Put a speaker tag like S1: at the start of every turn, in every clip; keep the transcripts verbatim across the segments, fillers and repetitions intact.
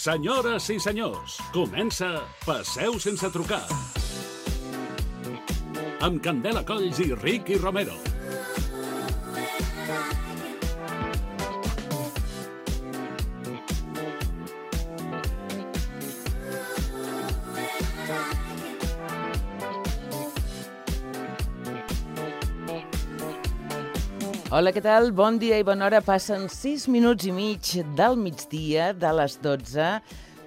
S1: Senyores i senyors, comença Passeu sense trucar. Amb Candela Colls i Ricky Romero.
S2: Hola, què tal? Bon dia i bona hora. Passen sis minuts i mig del migdia, de les dotze.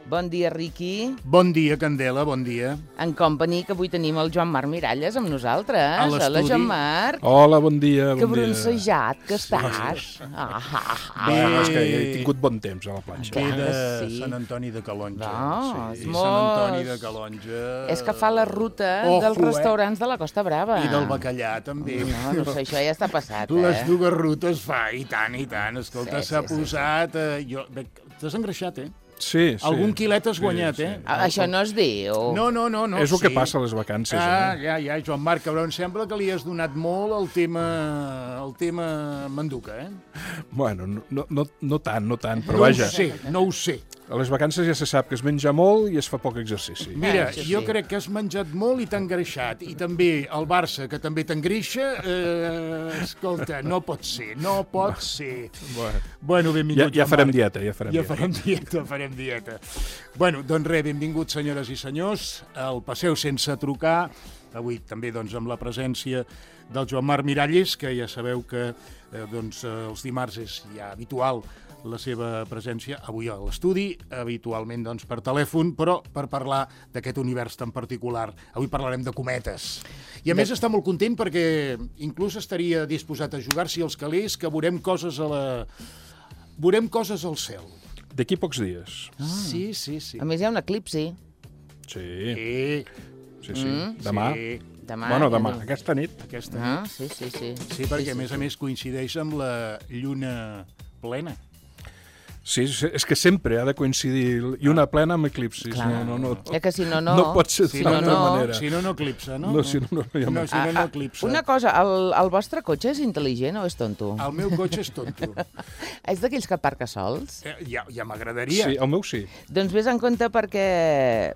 S2: Bon dia, Riqui.
S3: Bon dia, Candela, bon dia.
S2: En company, que avui tenim el Joan Marc Miralles amb nosaltres.
S3: A l'estudi.
S2: Hola, Joan Marc.
S4: Hola, bon dia, bon
S2: que
S4: dia.
S2: broncejat que estàs. Ah, ah, ah.
S4: Bueno, és que he tingut bon temps a la planxa.
S3: Ve
S2: Clar
S3: de
S2: que sí.
S3: Sant Antoni de Calonge.
S2: No, és
S3: sí.
S2: molt-
S3: Sant Antoni de Calonge.
S2: És que fa la ruta
S3: Ojo,
S2: dels
S3: eh?
S2: restaurants de la Costa Brava.
S3: I del bacallà, també.
S2: No, no sé, això ja està passat,
S3: Les
S2: eh?
S3: dues rutes fa, i tant, i tant. Escolta,
S2: Sí,
S3: s'ha
S2: sí, sí,
S3: posat... Eh, jo... Bé, t'has engreixat, eh?
S4: Sí, sí.
S3: Algun quilet has guanyat,
S4: sí,
S3: eh?
S4: sí.
S2: Ah, Això no es diu.
S3: No, no, no. no
S4: És el
S3: sí.
S4: que passa a les vacances,
S3: Ah,
S4: eh?
S3: ja, ja, Joan Marc, però em sembla que li has donat molt al tema, al tema manduca, eh?
S4: Bueno, no, no, no, no tant, no tant, però
S3: no
S4: vaja,
S3: ho sé, no ho sé.
S4: a les vacances ja se sap que es menja molt i es fa poc exercici.
S3: Mira,
S2: Ah, sí,
S3: jo
S2: sí.
S3: crec que has menjat molt i t'ha engreixat. I també el Barça, que també t'engreixa, eh, escolta, no pot ser, no pot ser.
S4: Bueno,
S3: Bueno,
S4: ja,
S3: benvingut,
S4: ja
S3: Joan
S4: farem
S3: Marc.
S4: dieta, ja farem
S3: Ja
S4: dieta.
S3: farem dieta, farem dieta. Bueno, doncs res, benvinguts, senyores i senyors, al Passeu sense trucar. Avui també doncs, amb la presència del Joan Marc Miralles, que ja sabeu que eh, doncs, eh, els dimarts és ja habitual la seva presència avui a l'estudi, habitualment doncs, per telèfon, però per parlar d'aquest univers tan particular. Avui parlarem de cometes. I a més està molt content perquè inclús estaria disposat a jugar-s'hi als calés, que veurem coses a la... veurem coses al cel.
S4: D'aquí pocs dies.
S3: Ah. Sí, sí, sí.
S2: A més, hi ha un eclipsi.
S4: Sí,
S3: Sí,
S4: sí, sí. Demà.
S3: sí,
S2: Demà.
S4: Bueno,
S2: ja
S4: demà,
S2: no-
S4: aquesta nit.
S3: aquesta
S2: Ah,
S3: nit.
S2: sí, sí, sí.
S3: Sí, perquè a més a més coincideix amb la lluna plena.
S4: Sí, sí, és que sempre ha de coincidir i una plena amb eclipsis.
S2: Clar.
S4: No, no, no.
S2: És que si no, no...
S4: No pot ser
S3: Si
S4: d'una
S3: no,
S4: altra
S3: no,
S4: manera.
S3: si no, no eclipsa, no?
S4: No, si no, no hi ha
S3: no,
S4: més.
S3: si no, no
S2: Ah, ah,
S3: eclipsa.
S2: Una cosa, el, el vostre cotxe és intel·ligent o és tonto?
S3: El meu cotxe és tonto.
S2: És d'aquells que aparca sols?
S3: Eh, ja ja m'agradaria.
S4: Sí, el meu sí.
S2: Doncs vés en compte perquè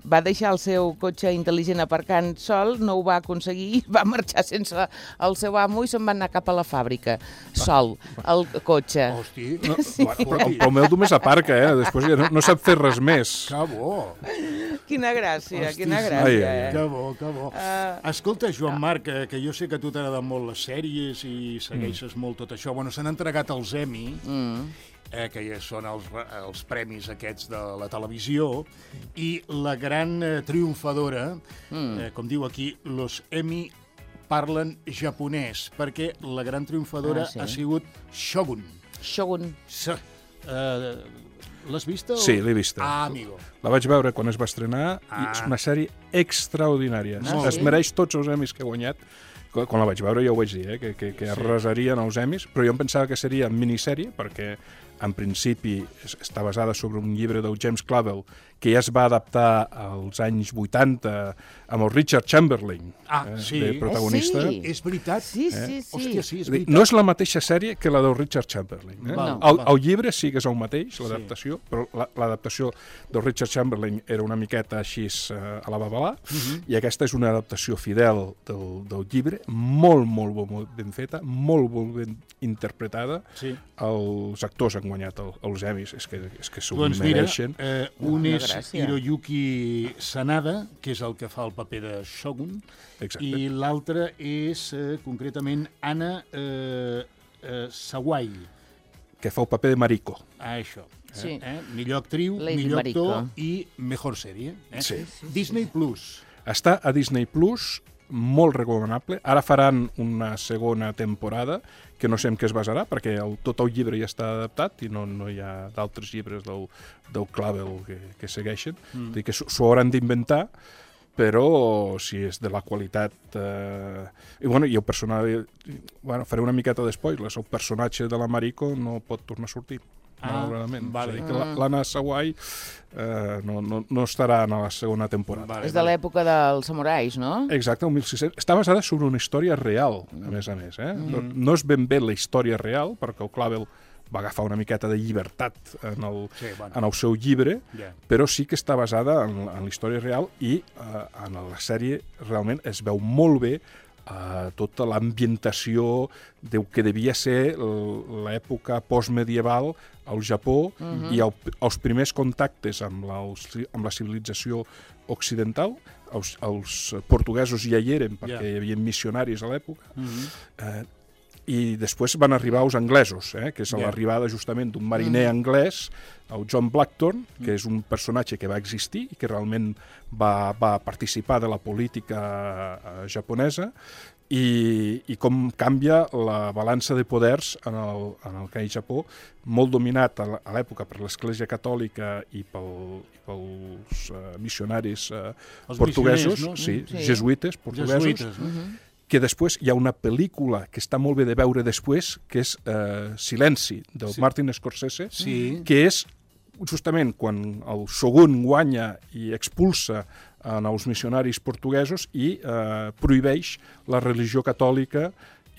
S2: va deixar el seu cotxe intel·ligent aparcant sol, no ho va aconseguir, va marxar sense el seu amo i se'n va anar cap a la fàbrica, sol, el cotxe.
S3: Hosti,
S4: No,
S3: sí.
S4: bueno, però, però el meu només aparca, eh? Després ja no, no sap fer res més.
S3: Que bo.
S2: Quina gràcia,
S3: Hosti,
S2: quina
S3: sí.
S2: gràcia.
S4: Ai, ai, ai.
S2: eh?
S3: Que bo, que bo.
S2: Ah.
S3: Escolta, Joan Marc, que, que jo sé que a tu t'agraden molt les sèries i segueixes molt tot això. Bueno, s'han entregat els Emmy,
S2: Mm.
S3: eh, que ja són els, els premis aquests de la televisió, i la gran eh, triomfadora,
S2: Mm.
S3: eh, com diu aquí, los Emmy parlen japonès, perquè la gran triomfadora
S2: Ah, sí?
S3: ha sigut Shogun.
S2: Shogun.
S3: S eh, L'has vista? o-
S4: Sí, l'he vista.
S3: Ah, amigo.
S4: La vaig veure quan es va estrenar i
S3: Ah.
S4: és una sèrie extraordinària.
S2: Ah,
S4: es
S2: sí?
S4: mereix tots els Emmys que ha guanyat. Quan quan la vaig veure ja ho vaig dir, eh? que, que, que arrasarien els Emmys, però jo em pensava que seria minissèrie, perquè en principi es- està basada sobre un llibre del James Clavell, que ja es va adaptar als anys vuitanta amb el Richard Chamberlain
S3: Ah,
S4: eh,
S3: sí.
S4: de protagonista.
S2: Eh, sí.
S3: És veritat?
S2: Sí, sí, sí.
S3: Hòstia, sí, és
S4: És a dir,
S3: veritat.
S4: no és la mateixa sèrie que la del Richard Chamberlain. Eh?
S3: Val,
S4: el,
S3: val.
S4: el llibre sí que és el mateix, l'adaptació, però la- l'adaptació del Richard Chamberlain era una miqueta així eh, a la babalà,
S3: Mhm.
S4: i aquesta és una adaptació fidel del, del llibre, molt, molt, molt, molt ben feta, molt, molt ben interpretada.
S3: Sí.
S4: Els actors han guanyat el, els Emmys, és que, és que s'ho
S3: Doncs mira,
S4: mereixen.
S3: eh, un
S2: Una
S3: és
S2: gràcia.
S3: Hiroyuki Sanada, que és el que fa el paper de Shogun,
S4: Exacte.
S3: i l'altre és, eh, concretament, Anna eh, eh, Sawai.
S4: Que fa el paper de Mariko.
S3: Ah, això.
S2: Sí.
S3: Eh? Millor actriu,
S2: Lady
S3: millor actor
S2: Mariko.
S3: i mejor sèrie. Eh?
S4: Sí.
S3: Disney Plus.
S4: Està a Disney Plus, molt recomanable. Ara faran una segona temporada, que no sé en què es basarà, perquè el, tot el llibre ja està adaptat i no, no hi ha d'altres llibres del, del Clavell que, que segueixen. Mm. Dir que s'ho s'ho hauran d'inventar, però si és de la qualitat... Eh... I, bueno, i el personatge... Bueno, faré una miqueta d'espoilers. El personatge de la Mariko no pot tornar a sortir.
S3: Ah,
S4: malauradament.
S3: vale.
S4: És a dir, que la- l'Anna Sawai eh, no, no, no estarà en la segona temporada.
S3: Vale,
S2: És de l'època dels samurais, no?
S4: Exacte, el mil sis-cents. Està basada sobre una història real, a més a més. Eh? No, no és ben bé la història real, perquè el Clavell va agafar una miqueta de llibertat en el,
S3: Sí, bueno.
S4: en el seu llibre,
S3: Ja.
S4: però sí que està basada en, en la història real i eh, en la sèrie realment es veu molt bé eh, tota l'ambientació del que devia ser l'època postmedieval al Japó uh-huh. i el, els primers contactes amb la, amb la civilització occidental. Els, els portuguesos ja hi eren perquè
S3: yeah.
S4: hi havia missionaris a l'època. Uh-huh. eh, I després van arribar els anglesos, eh, que és yeah. l'arribada justament d'un mariner mm. anglès, el John Blackthorne, que mm. és un personatge que va existir i que realment va, va participar de la política eh, japonesa, i, i com canvia la balança de poders en el, en el que hi Japó, molt dominat a l'època per l'Església Catòlica i, pel, i pels uh, missionaris uh, portuguesos, no? sí, sí. jesuïtes portuguesos, jesuïtes, no? uh-huh. que després hi ha una pel·lícula que està molt bé de veure després, que és eh, Silenci, del sí. Martin Scorsese, sí. que és justament quan el Shogun guanya i expulsa en els missionaris portuguesos i eh, prohibeix la religió catòlica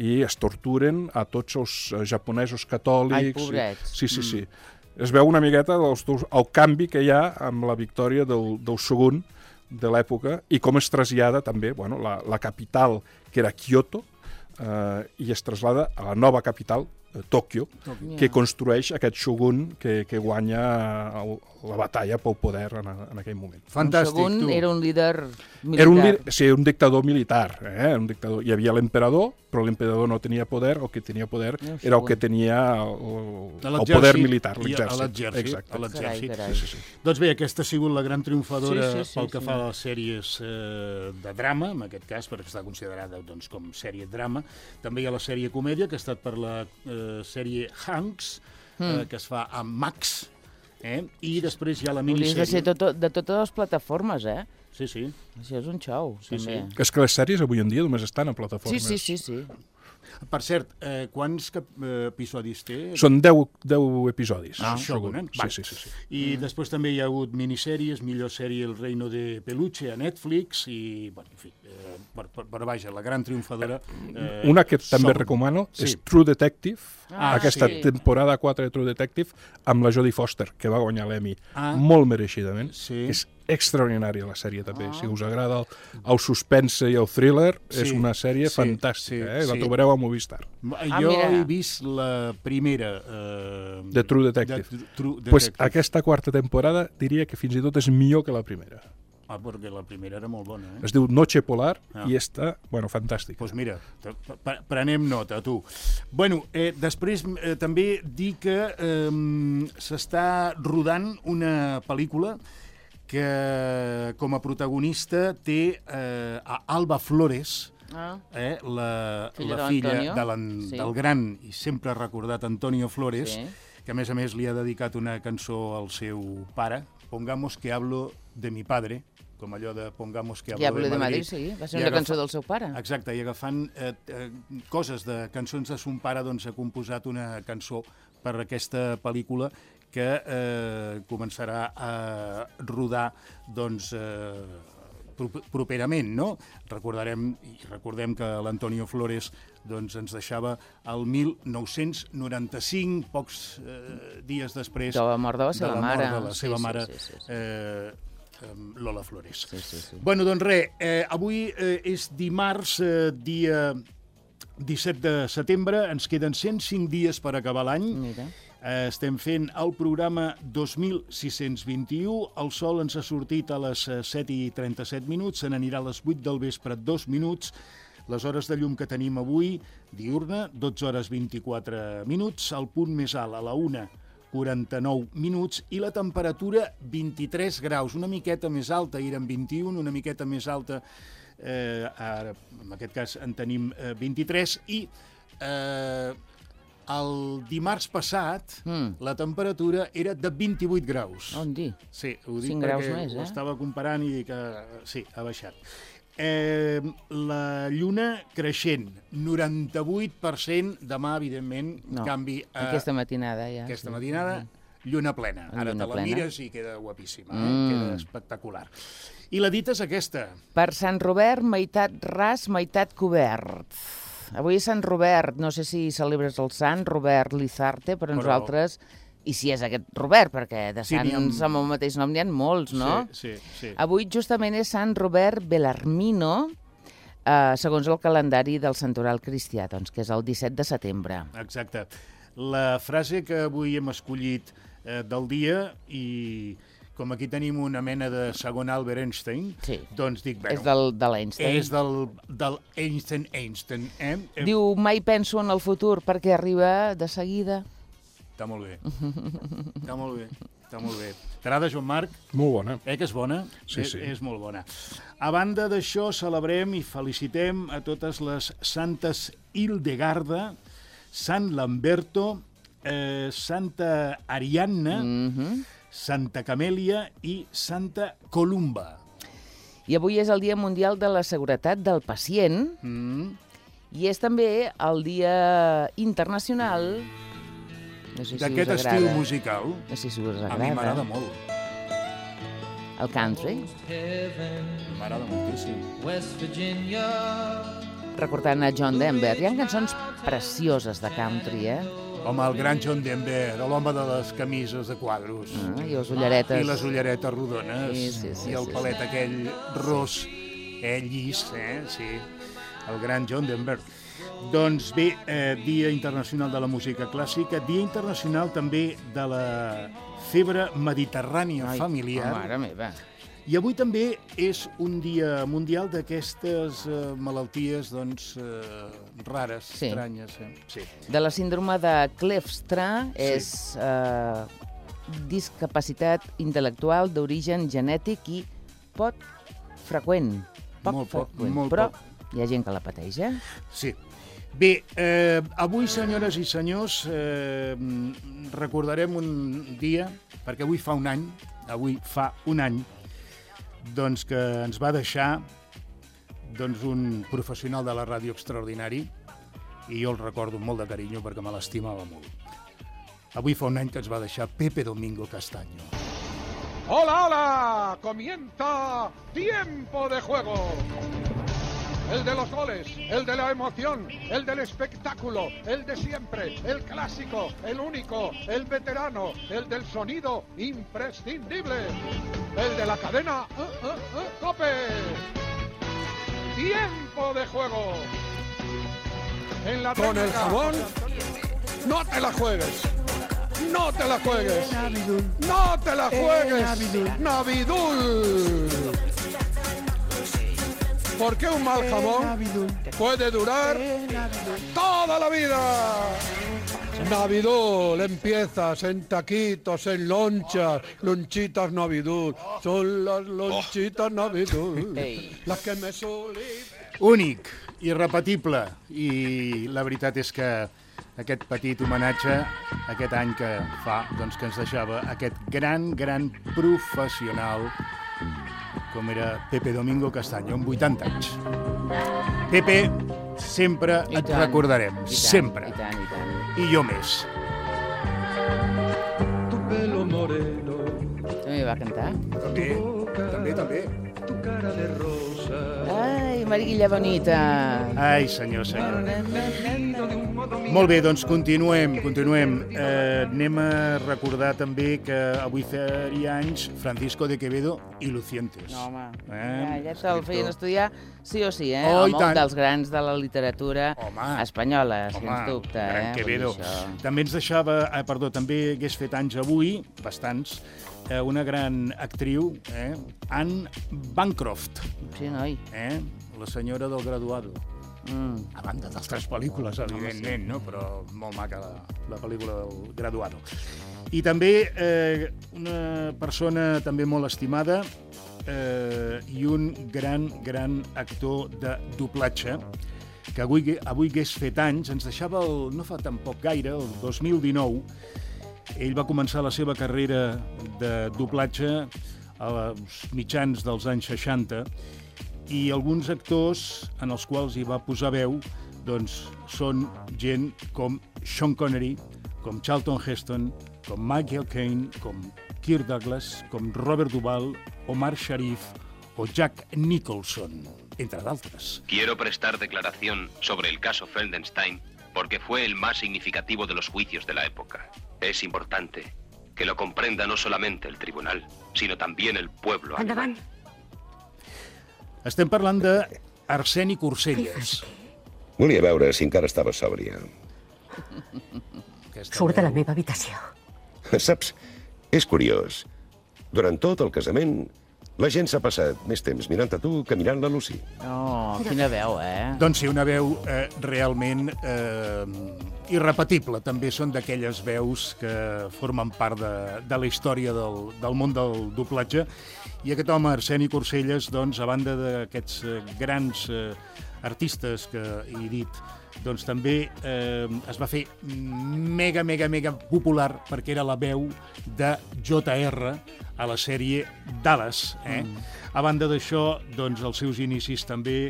S4: i es torturen a tots els japonesos catòlics.
S2: Ai, pobrets.
S4: Sí, sí, sí. Mm. Es veu una miqueta dels, el canvi que hi ha amb la victòria del, del Shogun de l'època i com es trasllada també, bueno, la, la capital, que era Kyoto, eh, i es traslada a la nova capital, eh, Tòquio, yeah. que construeix aquest shogun que, que guanya el, la batalla pel poder en, en aquell moment.
S2: Fantàstic, un shogun tu. Era un líder militar.
S4: Era un, sí, un dictador militar. Eh? Un dictador. Hi havia l'emperador, però l'emperador no tenia poder, el que tenia poder no, era el que tenia el, el poder militar, l'exèrcit.
S3: A l'exèrcit. Sí, sí, sí. Doncs bé, aquesta ha sigut la gran triomfadora sí, sí, sí, pel que sí. fa a les sèries eh, de drama, en aquest cas, perquè està considerada doncs, com sèrie drama. També hi ha la sèrie comèdia, que ha estat per la eh, sèrie Hanks, mm. eh, que es fa amb Max, eh? I després hi ha la minisèrie...
S2: Hauries de ser tot, de totes les plataformes, eh?
S3: Sí, sí.
S2: Això és un xou,
S3: sí,
S2: també.
S3: Sí.
S4: És que les sèries avui en dia només estan a plataformes.
S2: Sí, sí, sí, sí.
S3: Per cert, eh, quants cap, eh, episodis té?
S4: Són deu, deu episodis.
S3: Ah, Shogun, eh?
S4: Sí, sí, sí, sí.
S3: I mm. després també hi ha hagut minissèries, millor sèrie El Reino de Peluche a Netflix i, bueno, en fi, eh, però, però vaja, la gran triomfadora...
S4: Eh, Una que també som... recomano sí. és True Detective, ah, aquesta sí. temporada quatre de True Detective, amb la Jodie Foster, que va guanyar l'Emmy ah. molt mereixidament. Sí. És extraordinària la sèrie també, ah. si us agrada el, el suspense i el thriller, sí, és una sèrie sí, fantàstica, sí, eh? la sí. trobareu a Movistar.
S3: Ah, jo mira. he vist la primera eh,
S4: de True Detective. De, True Detective. Pues aquesta quarta temporada diria que fins i tot és millor que la primera.
S3: Ah, perquè la primera era molt bona, eh?
S4: Es diu Noche Polar ah. i està, bueno, fantàstica.
S3: Doncs pues mira, prenem nota, tu. Bueno, eh, després eh, també dir que eh, s'està rodant una pel·lícula que com a protagonista té eh, a Alba Flores, ah. eh, la, filla la filla de sí. del gran i sempre recordat Antonio Flores, sí. que a més a més li ha dedicat una cançó al seu pare, Pongamos que hablo de mi padre, com allò de Pongamos que hablo,
S2: hablo
S3: de Madrid.
S2: De Madrid, sí, va ser una cançó del seu pare.
S3: Exacte, i agafant eh, eh, coses de cançons de son pare, doncs ha composat una cançó per aquesta pel·lícula que eh, començarà a rodar doncs, eh, properament, no? Recordarem, i recordem que l'Antonio Flores doncs, ens deixava el mil nou-cents noranta-cinc, pocs eh, dies després
S2: de la mort de la seva
S3: de la
S2: mare,
S3: de la seva
S2: sí,
S3: mare
S2: sí, sí, sí.
S3: Eh, Lola Flores. Sí, sí, sí. Bueno, doncs res, eh, avui eh, és dimarts, eh, dia disset de setembre, ens queden cent cinc dies per acabar l'any.
S2: Mira.
S3: Eh, estem fent el programa dos mil sis-cents vint-i-u, el sol ens ha sortit a les set i trenta-set minuts, se n'anirà a les vuit del vespre, dos minuts, les hores de llum que tenim avui, diurna, dotze hores vint-i-quatre minuts, el punt més alt a la una, quaranta-nou minuts, i la temperatura vint-i-tres graus, una miqueta més alta, ahir eren vint-i-un, una miqueta més alta, eh, ara, en aquest cas en tenim eh, vint-i-tres, i eh, el dimarts passat mm. la temperatura era de vint-i-vuit graus.
S2: On dir?
S3: Sí, ho dic perquè més, eh? ho estava comparant i que sí, ha baixat. Eh, la lluna creixent, noranta-vuit per cent, demà, evidentment,
S2: no,
S3: canvi...
S2: A, aquesta matinada, ja.
S3: Aquesta sí. matinada, lluna plena. Ara lluna te la plena. Mires i queda guapíssima, mm. eh? Queda espectacular. I la dita és aquesta.
S2: Per Sant Robert, meitat ras, meitat cobert. Avui és Sant Robert. No sé si celebres el sant, Robert Lizarte, però, però... nosaltres... I si és aquest Robert, perquè de
S3: Sí, n'hi ha-
S2: sants amb el mateix nom n'hi ha molts, no?
S3: Sí, sí, sí.
S2: Avui justament és Sant Robert Bellarmino, eh, segons el calendari del santoral cristià, doncs, que és el disset de setembre.
S3: Exacte. La frase que avui hem escollit eh, del dia, i com aquí tenim una mena de segon Albert Einstein,
S2: Sí.
S3: doncs dic, bueno,
S2: És del, de l'Einstein.
S3: és del, del Einstein Einstein. Eh? Eh,
S2: Diu, mai penso en el futur perquè arriba de seguida.
S3: Està molt bé. Està molt bé. Està molt bé. T'agrada, Joan Marc?
S4: Molt bona.
S3: Eh, que és bona?
S4: Sí,
S3: és,
S4: sí.
S3: És molt bona. A banda d'això, celebrem i felicitem a totes les santes Hildegarda, Sant Lamberto, eh, Santa Ariadna,
S2: Mhm.
S3: Santa Camèlia i Santa Columba.
S2: I avui és el Dia Mundial de la Seguretat del Pacient
S3: Mm.
S2: i és també el Dia Internacional... No sé si
S3: D'aquest
S2: us
S3: estil
S2: agrada.
S3: musical,
S2: No sé si us
S3: a
S2: agrada.
S3: mi m'agrada molt.
S2: El country.
S3: M'agrada moltíssim.
S5: West Virginia.
S2: Recordant a John Denver. Hi ha cançons precioses de country, eh?
S3: Home, el gran John Denver, l'home de les camises de quadros.
S2: Ah, I les ulleretes.
S3: I les ulleretes rodones.
S2: Sí, sí, sí,
S3: I el
S2: sí,
S3: palet aquell ros, eh, llis, eh? Sí. El gran John Denver. Doncs bé, eh, Dia Internacional de la Música Clàssica, Dia Internacional també de la febre mediterrània
S2: Ai,
S3: familiar.
S2: oh, mare meva.
S3: I avui també és un dia mundial d'aquestes eh, malalties doncs, eh, rares,
S2: Sí.
S3: estranyes. Eh? Sí.
S2: De la síndrome de Kleefstra és eh, discapacitat intel·lectual d'origen genètic i poc freqüent. Poc
S3: Molt poc,
S2: freqüent.
S3: molt
S2: Però
S3: poc.
S2: hi ha gent que la pateix, eh?
S3: Sí. Bé, eh, avui, senyores i senyors, eh, recordarem un dia, perquè avui fa un any, avui fa un any, doncs que ens va deixar doncs, un professional de la ràdio extraordinari, i jo el recordo amb molt de carinyo perquè me l'estimava molt. Avui fa un any que ens va deixar Pepe Domingo Castaño.
S6: ¡Hola, hola! Comienza Tiempo de Juego. El de los goles, el de la emoción, el del espectáculo, el de siempre, el clásico, el único, el veterano, el del sonido imprescindible, el de la cadena uh, uh, uh, COPE. Tiempo de Juego. En la Con el jabón, no te la juegues. No te la juegues. No te la juegues. Navidul. Porque un mal jamón puede durar toda la vida. Navidul, empiezas en taquitos, en lonchas, lonchitas Navidul. Son las lonchitas Navidul,
S2: Ei.
S6: las que me suelen...
S3: Únic, irrepetible, i la veritat és que aquest petit homenatge, aquest any que fa, doncs que ens deixava aquest gran, gran professional com era Pepe Domingo Castaño, amb vuitanta anys. Pepe, sempre
S2: I
S3: et
S2: tant,
S3: recordarem,
S2: i tant,
S3: sempre.
S2: I tant, i tant.
S3: I jo més.
S5: Tu pelo moreno,
S2: També va cantar.
S3: També, també, també.
S5: tu cara de rosa.
S2: Ai, Mariquilla bonita.
S3: Ai, senyor, senyor. Molt bé, doncs continuem, continuem. Eh, anem a recordar també que avui faria anys Francisco de Quevedo i Lucientes.
S2: No, home,
S3: Eh,
S2: ja, ja te'l feien
S3: escriptor.
S2: estudiar sí o sí, eh?
S3: Oh, i
S2: Home,
S3: tant.
S2: un dels grans de la literatura
S3: Home,
S2: espanyola,
S3: Home,
S2: sens dubte.
S3: gran
S2: eh?
S3: Quevedo.
S2: Vull dir això.
S3: També ens deixava, eh, perdó, també hagués fet anys avui, bastants, eh, una gran actriu, eh, Anne Bancroft,
S2: Sí, noi.
S3: eh, la senyora del Graduado.
S2: Mm.
S3: A banda d'altres pel·lícules, evidentment, no? Però molt maca la, la pel·lícula del Graduado. I també eh, una persona també molt estimada eh, i un gran, gran actor de doblatge que avui, avui hagués fet anys, ens deixava el, no fa tampoc gaire, el dos mil dinou. Ell va començar la seva carrera de doblatge als mitjans dels anys seixanta, i alguns actors en els quals hi va posar veu doncs, són gent com Sean Connery, com Charlton Heston, com Michael Caine, com Kirk Douglas, com Robert Duvall, Omar Sharif o Jack Nicholson. entre d'altres.
S7: Quiero prestar declaración sobre el caso Feldenstein porque fue el más significativo de los juicios de la época. Es importante que lo comprenda no solamente el tribunal, sino también el pueblo alemán.
S3: Estem parlant d'Arseni Corselles.
S8: Volia veure si encara estava sòbria.
S9: Surt de la meva habitació.
S8: Saps, és curiós. Durant tot el casament, la gent s'ha passat més temps mirant a tu que mirant la Lucy.
S2: Oh, quina veu, eh?
S3: Doncs sí, una veu eh, realment eh, irrepetible. També són d'aquelles veus que formen part de, de la història del, del món del doblatge. I aquest home, Arseni Corselles, doncs, a banda d'aquests eh, grans eh, artistes que he dit, doncs també eh, es va fer mega, mega, mega popular perquè era la veu de J R a la sèrie Dallas. Eh? Mm. A banda d'això, doncs, als seus inicis també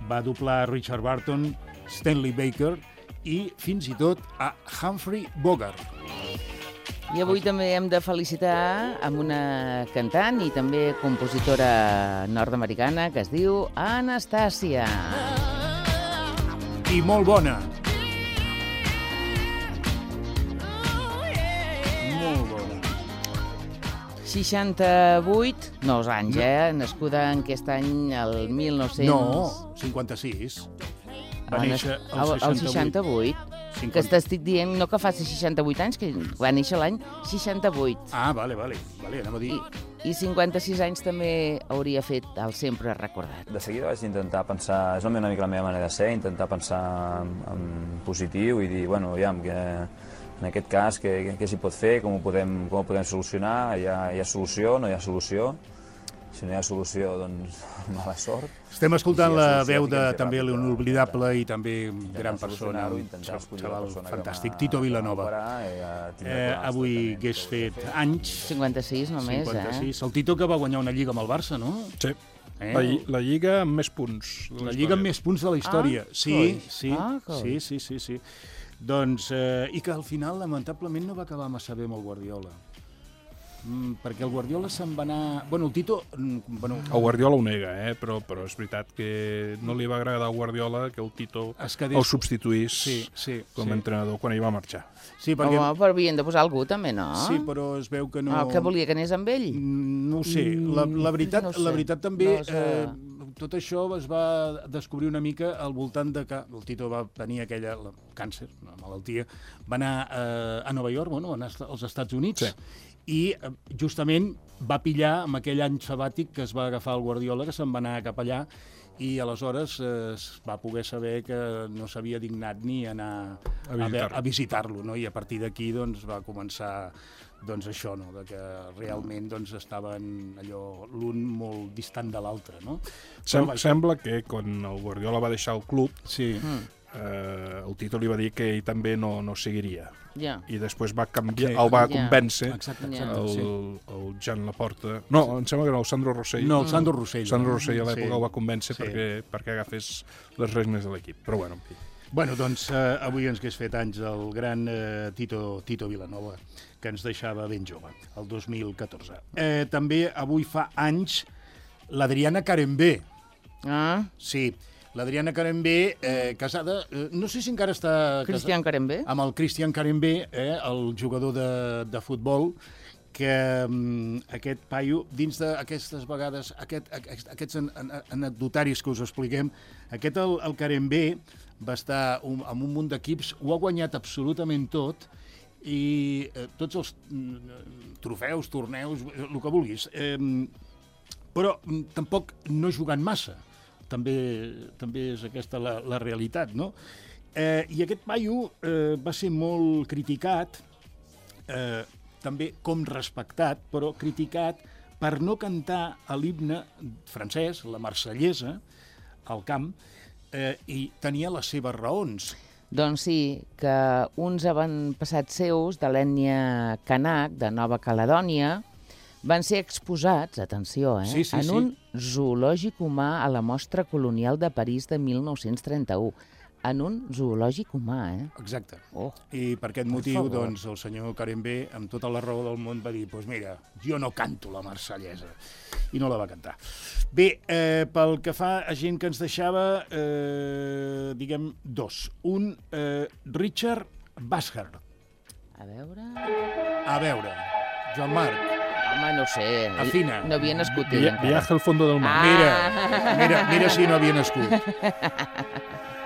S3: va doblar Richard Burton, Stanley Baker i fins i tot a Humphrey Bogart.
S2: I avui també hem de felicitar amb una cantant i també compositora nord-americana que es diu Anastàcia.
S3: I molt bona. Molt bona.
S2: seixanta-vuit, nous anys, eh? Nascuda en aquest any, el mil nou-cents...
S3: No, cinquanta-sis. Va
S2: Ah,
S3: néixer
S2: el
S3: el
S2: seixanta-vuit.
S3: seixanta-vuit.
S2: Que t'estic dient, no que faci seixanta-vuit anys, que va néixer l'any seixanta-vuit.
S3: Ah, vale, vale. vale anem a dir...
S2: I, I cinquanta-sis anys també hauria fet el sempre recordat.
S10: De seguida vaig intentar pensar, és una mica la meva manera de ser, intentar pensar en, en positiu i dir, bueno, aviam, que en aquest cas, què, què s'hi pot fer, com ho podem, com ho podem solucionar, hi ha, hi ha solució, no hi ha solució, si no hi ha solució, doncs mala sort.
S3: Estem escoltant
S10: Si hi ha
S3: la
S10: solució,
S3: veu de
S10: tinguem que fer
S3: també
S10: ràpid,
S3: l'inoblidable i també gran persona,
S10: solucionar-ho,
S3: un
S10: intentar escollir la
S3: xaval
S10: persona que
S3: fantàstic,
S10: m'ha-
S3: Tito
S10: que m'ha
S3: Vilanova.
S10: operat i, eh, tindrà
S3: Eh,
S10: problemes
S3: avui
S10: tractaments
S3: hagués
S10: que heu de
S3: fet
S10: fer.
S3: anys.
S2: cinquanta-sis només,
S3: cinquanta-sis. El Tito que va guanyar una lliga amb el Barça, no?
S4: Sí.
S3: Eh?
S4: La, lli- la lliga amb més punts. de
S3: La lliga amb
S4: història.
S3: més punts de la història.
S2: Ah,
S3: sí,
S2: coi.
S3: sí,
S2: Ah, coi.
S3: sí, sí, sí, sí. Doncs, eh, i que al final, lamentablement, no va acabar massa bé amb el Guardiola. Mm, perquè el Guardiola se'n va anar... Bueno, el Tito... mm, Bueno,
S4: El Guardiola ho nega, eh? però, però és veritat que no li va agradar al Guardiola que el Tito
S3: Es quedés-
S4: el substituís
S3: Sí, sí,
S4: com
S3: sí.
S4: a entrenador quan ell va marxar.
S3: Sí, perquè...
S2: Home, però havien de posar algú també, no?
S3: Sí, però es veu que no...
S2: Ah, que volia que anés amb ell?
S3: Mm, No ho sé. La, la, veritat,
S2: no ho sé.
S3: la veritat també...
S2: No sé.
S3: Eh, tot això es va descobrir una mica al voltant de que el Tito va tenir aquella la, càncer, una malaltia, va anar eh, a Nova York, bueno, va anar als Estats Units,
S4: Sí.
S3: i eh, justament va pillar amb aquell any sabàtic que es va agafar el Guardiola, que se'n va anar cap allà, i aleshores eh, es va poder saber que no s'havia dignat ni anar
S4: A
S3: a, ve-
S4: visitar-lo.
S3: a visitar-lo, no? I a partir d'aquí doncs, va començar doncs, això, no? De que realment doncs, estaven allò l'un molt distant de l'altre. No?
S4: Sem
S3: Però, vaja,
S4: Sembla que quan el Guardiola va deixar el club,
S3: sí.
S4: eh, el Tito li va dir que ell també no, no seguiria.
S2: Ja.
S4: I després va canviar,
S3: Sí.
S4: el va
S2: Ja.
S4: convèncer
S3: Exacte,
S2: Ja.
S3: exacte,
S4: el,
S3: sí.
S4: el Jan Laporta. No, em sembla que era el Sandro Rossell.
S3: No, el Sandro Rossell.
S4: Sandro Rossell a l'època
S3: Sí.
S4: el va convèncer
S3: Sí.
S4: perquè, perquè agafés les regnes de l'equip. Però bueno, en fi.
S3: Bueno, doncs eh, avui ens hagués fet anys el gran eh, Tito, Tito Vilanova, que ens deixava ben jove, el dos mil catorze. Eh, també avui fa anys l'Adriana Carembé.
S2: Ah,
S3: Sí, l'Adriana Carembé, eh, casada... Eh, no sé si encara està...
S2: Cristian Carembé?
S3: Amb el Cristian Carembé, eh, el jugador de, de futbol, que um, aquest paio, dins d'aquestes vegades, aquest, aquest, aquests an, an, anecdotaris que us expliquem, aquest, el, el Carembé, va estar un, amb un munt d'equips, ho ha guanyat absolutament tot, i eh, tots els mm, trofeus, torneus, el que vulguis. Eh, però mm, tampoc no jugant massa. També, també és aquesta la, la realitat, no? Eh, I aquest paio eh, va ser molt criticat, eh, també com respectat, però criticat per no cantar a l'himne francès, la marsellesa, al camp, eh, i tenia les seves raons.
S2: Doncs sí, que uns avantpassats seus de l'ètnia Kanak, de Nova Caledònia, van ser exposats, atenció, eh,
S3: Sí, sí,
S2: en
S3: sí.
S2: un zoològic humà a la Mostra Colonial de París de mil nou-cents trenta-u. en un zoològic humà, eh?
S3: Exacte.
S2: Oh.
S3: I per aquest
S2: Per
S3: motiu,
S2: favor.
S3: doncs, el senyor Carembé, amb tota la raó del món, va dir, doncs pues mira, jo no canto la marsellesa. I no la va cantar. Bé, eh, pel que fa a gent que ens deixava, eh, diguem, dos. Un, eh, Richard Bashard.
S2: A veure...
S3: A veure, Joan Marc.
S2: Home, no ho sé.
S3: Afina.
S2: No havia nascut ell
S4: Via,
S2: encara.
S4: viaje al fondo del mar.
S2: Ah.
S3: Mira, mira, mira si no havia nascut.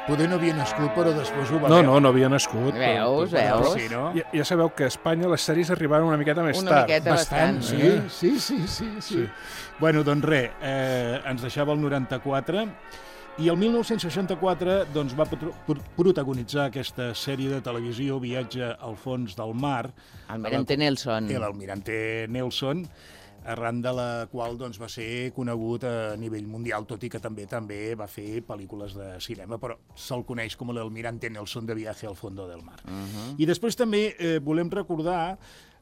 S3: Poder no havia nascut, però després ho va
S4: No,
S3: veure.
S4: no, no havia nascut.
S2: Veus,
S3: Però
S2: veus?
S3: sí, no?
S4: Ja, ja sabeu que a Espanya les sèries arribaven una miqueta més
S2: Una
S4: tard.
S2: miqueta bastant.
S3: Sí, sí, sí, sí, sí.
S4: Sí.
S3: Bueno, doncs res, eh, ens deixava el noranta-quatre i el mil nou-cents seixanta-quatre doncs, va pro- pro- protagonitzar aquesta sèrie de televisió Viatge al fons del mar.
S2: Almirante Nelson.
S3: L'Almirante Nelson, arran de la qual doncs, va ser conegut a nivell mundial, tot i que també també va fer pel·lícules de cinema, però se'l coneix com l'Almirante Nelson de Viaje al fondo del mar.
S2: Uh -huh.
S3: I després també eh, volem recordar,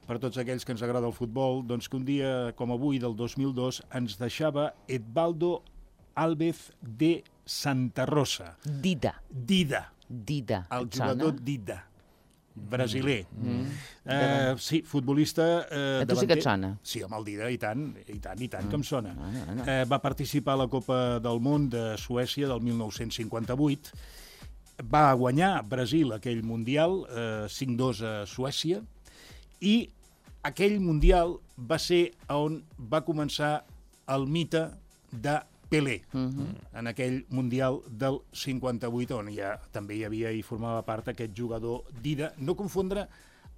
S3: per tots aquells que ens agrada el futbol, doncs que un dia com avui, del dos mil dos, ens deixava Edvaldo Alves de Santa Rosa.
S2: Dida.
S3: Dida,
S2: Dida.
S3: el
S2: Et sona?
S3: jugador Dida, brasiler.
S2: Mm.
S3: Eh, sí, futbolista... Eh,
S2: A tu sí que et sona?
S3: Sí, amb el Dida, i tant, i tant, i tant mm. que em sona.
S2: No, no, no.
S3: Eh, va participar a la Copa del Món de Suècia del mil nou-cents cinquanta-vuit, va guanyar Brasil aquell Mundial, eh, cinc dos a Suècia, i aquell Mundial va ser on va començar el mite de Pelé,
S2: Uh -huh.
S3: en aquell Mundial del cinquanta-vuit, on ja també hi havia i formava part aquest jugador Dida, no confondre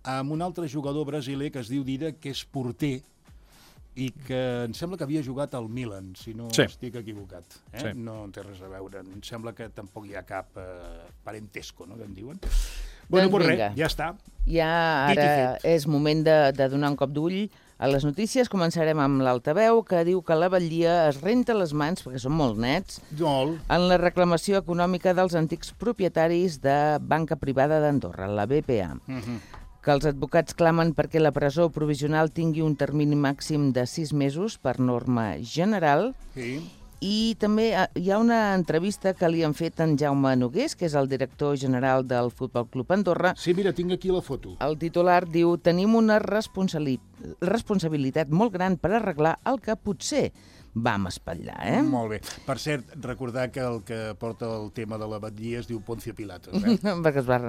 S3: amb un altre jugador brasiler que es diu Dida, que és porter, i que em sembla que havia jugat al Milan, si no
S4: Sí.
S3: estic equivocat. Eh?
S4: Sí.
S3: No en té res a veure. Em sembla que tampoc hi ha cap eh, parentesco, no?, que en diuen. Bueno,
S2: Doncs
S3: doncs
S2: vinga.
S3: res, ja està.
S2: Ja
S3: Dit i
S2: ara
S3: fet.
S2: és moment de, de donar un cop d'ull a les notícies. Començarem amb l'altaveu, que diu que la batllia es renta les mans, perquè són molt nets,
S3: Molt.
S2: en la reclamació econòmica dels antics propietaris de banca privada d'Andorra, la B P A.
S3: Uh -huh.
S2: Que els advocats clamen perquè la presó provisional tingui un termini màxim de sis mesos per norma general.
S3: Sí.
S2: I també eh, hi ha una entrevista que li han fet en Jaume Nogués, que és el director general del Futbol Club Andorra.
S3: Sí, mira, tinc aquí la foto.
S2: El titular diu: tenim una responsabili- responsabilitat molt gran per arreglar el que potser vam espatllar, eh?
S3: Molt bé. Per cert, recordar que el que porta el tema de la batllia es diu Poncio Pilatos, eh?
S2: Perquè es va...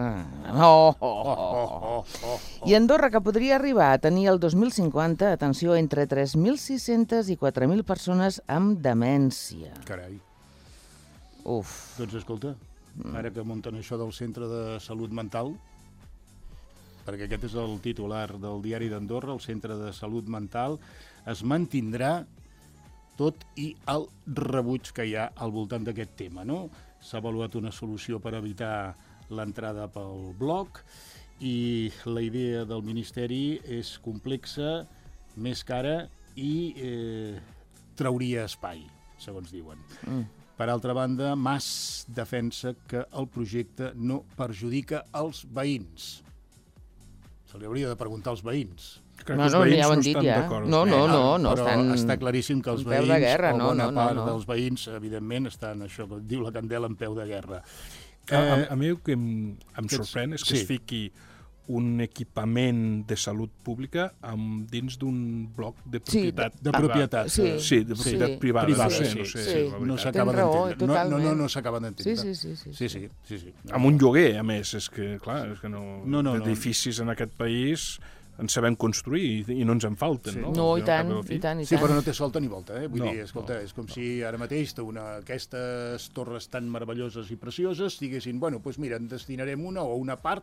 S2: Oh, oh,
S3: Oh,
S2: oh,
S3: oh,
S2: oh.
S3: oh, oh, oh.
S2: I Andorra, que podria arribar a tenir el dos mil cinquanta, atenció, entre tres mil sis-centes i quatre mil persones amb demència.
S3: Carai.
S2: Uf.
S3: Doncs escolta, ara que munten això del Centre de Salut Mental, perquè aquest és el titular del diari d'Andorra, el Centre de Salut Mental, es mantindrà tot i el rebuig que hi ha al voltant d'aquest tema, no? S'ha avaluat una solució per evitar l'entrada pel bloc i la idea del Ministeri és complexa, més cara i eh, trauria espai, segons diuen.
S2: Mm.
S3: Per altra banda, Mas defensa que el projecte no perjudica els veïns. Se li hauria de preguntar als veïns.
S4: Crec
S2: No,
S4: que els
S2: no,
S4: veïns
S2: ja ho han
S4: no
S2: dit,
S4: estan
S2: ja.
S4: d'acord.
S2: No, no, no, no,
S3: però
S2: estan...
S3: està claríssim que els
S2: en peu de
S3: veïns,
S2: guerra,
S3: o
S2: no,
S3: bona
S2: no, no,
S3: part
S2: no.
S3: dels veïns, evidentment, estan, això que diu la Candela, en peu de guerra.
S4: A, a,
S3: Eh,
S4: a mi el que em, em
S3: que-
S4: sorprèn és que
S3: sí.
S4: es fiqui un equipament de salut pública amb, dins d'un bloc de
S2: Sí,
S4: propietat.
S3: de
S4: privada.
S3: propietat.
S2: Sí.
S4: Sí, de propietat
S2: Sí.
S4: privada.
S3: Privada,
S4: no sé,
S3: sí,
S4: no sé,
S2: sí.
S4: la
S3: no
S4: veritat.
S3: s'acaba
S2: Tens raó,
S3: d'entendre. No, no,
S2: totalment.
S3: no, no s'acaba d'entendre.
S2: Sí, sí, sí, sí,
S3: Sí, sí, sí, sí.
S4: Amb un lloguer, a més, és que, clar, és que no,
S3: No, no, no.
S4: d'edificis en aquest país en sabem construir i, i no ens en falten,
S3: Sí.
S4: no?
S2: No, i
S4: Al
S2: tant,
S4: cap al fi.
S2: i tant, i
S3: Sí,
S2: tant.
S3: però no té solta ni volta, eh? Vull
S4: No,
S3: dir, escolta,
S4: no,
S3: és com si ara mateix té una, aquestes torres tan meravelloses i precioses diguessin, bueno, doncs mira, en destinarem una o una part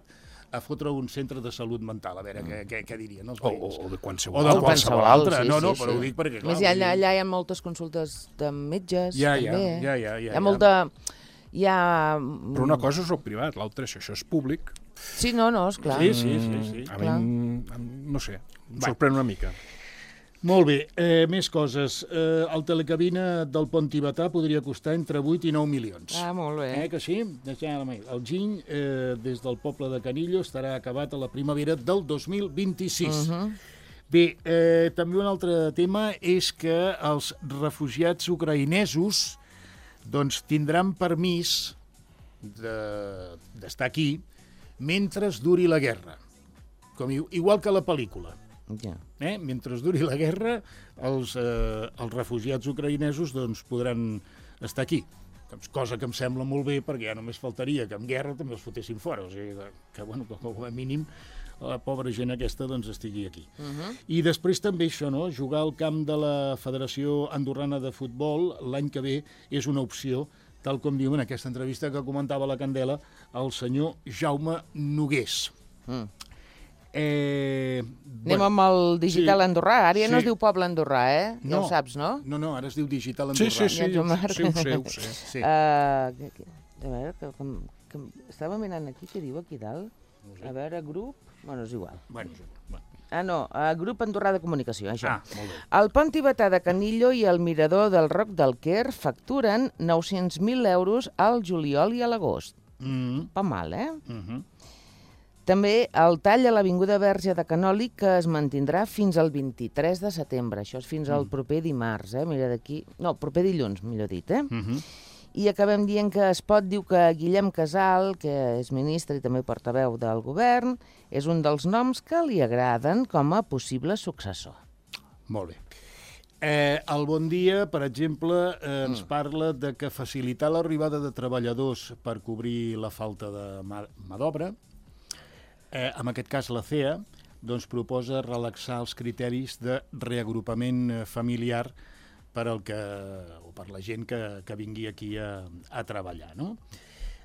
S3: a fotre un centre de salut mental, a veure què, què, què dirien els
S4: O,
S3: veïns.
S4: o, o de
S3: O
S4: qualsevol.
S3: de
S2: O
S3: qualsevol
S2: qualsevol,
S3: altra.
S2: sí,
S3: No, no,
S2: sí,
S3: però
S2: sí.
S3: ho dic perquè, clar...
S2: Més hi ha,
S3: vull dir-
S2: allà hi ha moltes consultes de metges,
S3: Ja, ja,
S2: també.
S3: ja, ja, ja,
S2: Hi
S3: ja.
S2: ha molta... Hi ha...
S4: Però una cosa és el privat, l'altra, si això és públic,
S2: Sí, no, no, esclar.
S3: Sí, sí, sí, sí.
S4: a mi,
S2: Clar.
S4: em- em- no sé, em
S3: Va.
S4: sorprèn una mica.
S3: Molt bé, eh, més coses. Eh, el telecabina del Pont Tibetà podria costar entre vuit i nou milions.
S2: Ah, molt bé.
S3: Eh, que sí? El giny, eh, des del poble de Canillo, estarà acabat a la primavera del dos mil vint-i-sis.
S2: Uh -huh.
S3: Bé, eh, també un altre tema és que els refugiats ucraïnesos doncs, tindran permís d'estar aquí mentre duri la guerra. Com, igual que la pel·lícula.
S2: Ja.
S3: Eh? Mentre duri la guerra, els, eh, els refugiats ucraïnesos doncs, podran estar aquí. Cosa que em sembla molt bé, perquè ja només faltaria que en guerra també els fotessin fora. O sigui, que, que bueno, com a mínim la pobra gent aquesta doncs, estigui aquí. Uh-huh. I després també això, no? Jugar al camp de la Federació Andorrana de Futbol l'any que ve és una opció, tal com diu en aquesta entrevista que comentava la Candela el senyor Jaume Nogués. Mm. Eh,
S2: Anem bueno, amb el digital sí, andorrà. Ara ja sí. no es diu poble andorrà, eh? Ja
S3: no,
S2: ho saps, no?
S3: No, no, ara es diu digital andorrà.
S4: Sí, sí, sí, sí, sí, ho sé, ho sé.
S2: Sí. Uh, a veure, que, que, que, estava mirant aquí, què diu aquí dalt? No sé. A veure, grup... Bueno, és igual.
S3: Bueno, bueno.
S2: Ah, no, uh, grup Andorrà de Comunicació, això.
S3: Ah, molt bé.
S2: El pont tibetà de Canillo i el mirador del Roc del Quer facturen nou-cents mil euros al juliol i a l'agost.
S3: Mm.
S2: Pa mal, eh?
S3: Mm -hmm.
S2: També el tall a l'Avinguda Verge de Canòlic, que es mantindrà fins al vint-i-tres de setembre. Això és fins al proper dimarts, eh? Mira d'aquí... No, proper dilluns, millor dit, eh?
S3: Mm -hmm.
S2: I acabem dient que Espot diu que Guillem Casal, que és ministre i també portaveu del govern, és un dels noms que li agraden com a possible successor.
S3: Molt bé. Eh, el Bon Dia, per exemple, eh, ens mm. parla de que facilitar l'arribada de treballadors per cobrir la falta de mà, mà d'obra. Eh, en aquest cas, la C E A doncs, proposa relaxar els criteris de reagrupament familiar per, al que, o per la gent que, que vingui aquí a, a treballar, no?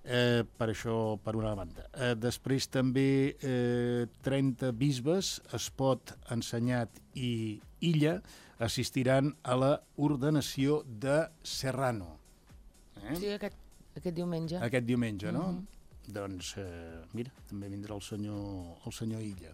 S3: Eh, per això, per una banda. Eh, després també eh, trenta bisbes, Espot, Ensenyat i Illa assistiran a la ordenació de Serrano.
S2: Eh? Sí, aquest, aquest diumenge.
S3: Aquest diumenge, no?
S2: Mm-hmm.
S3: Doncs, eh, mira, també vindrà el senyor, el senyor Illa.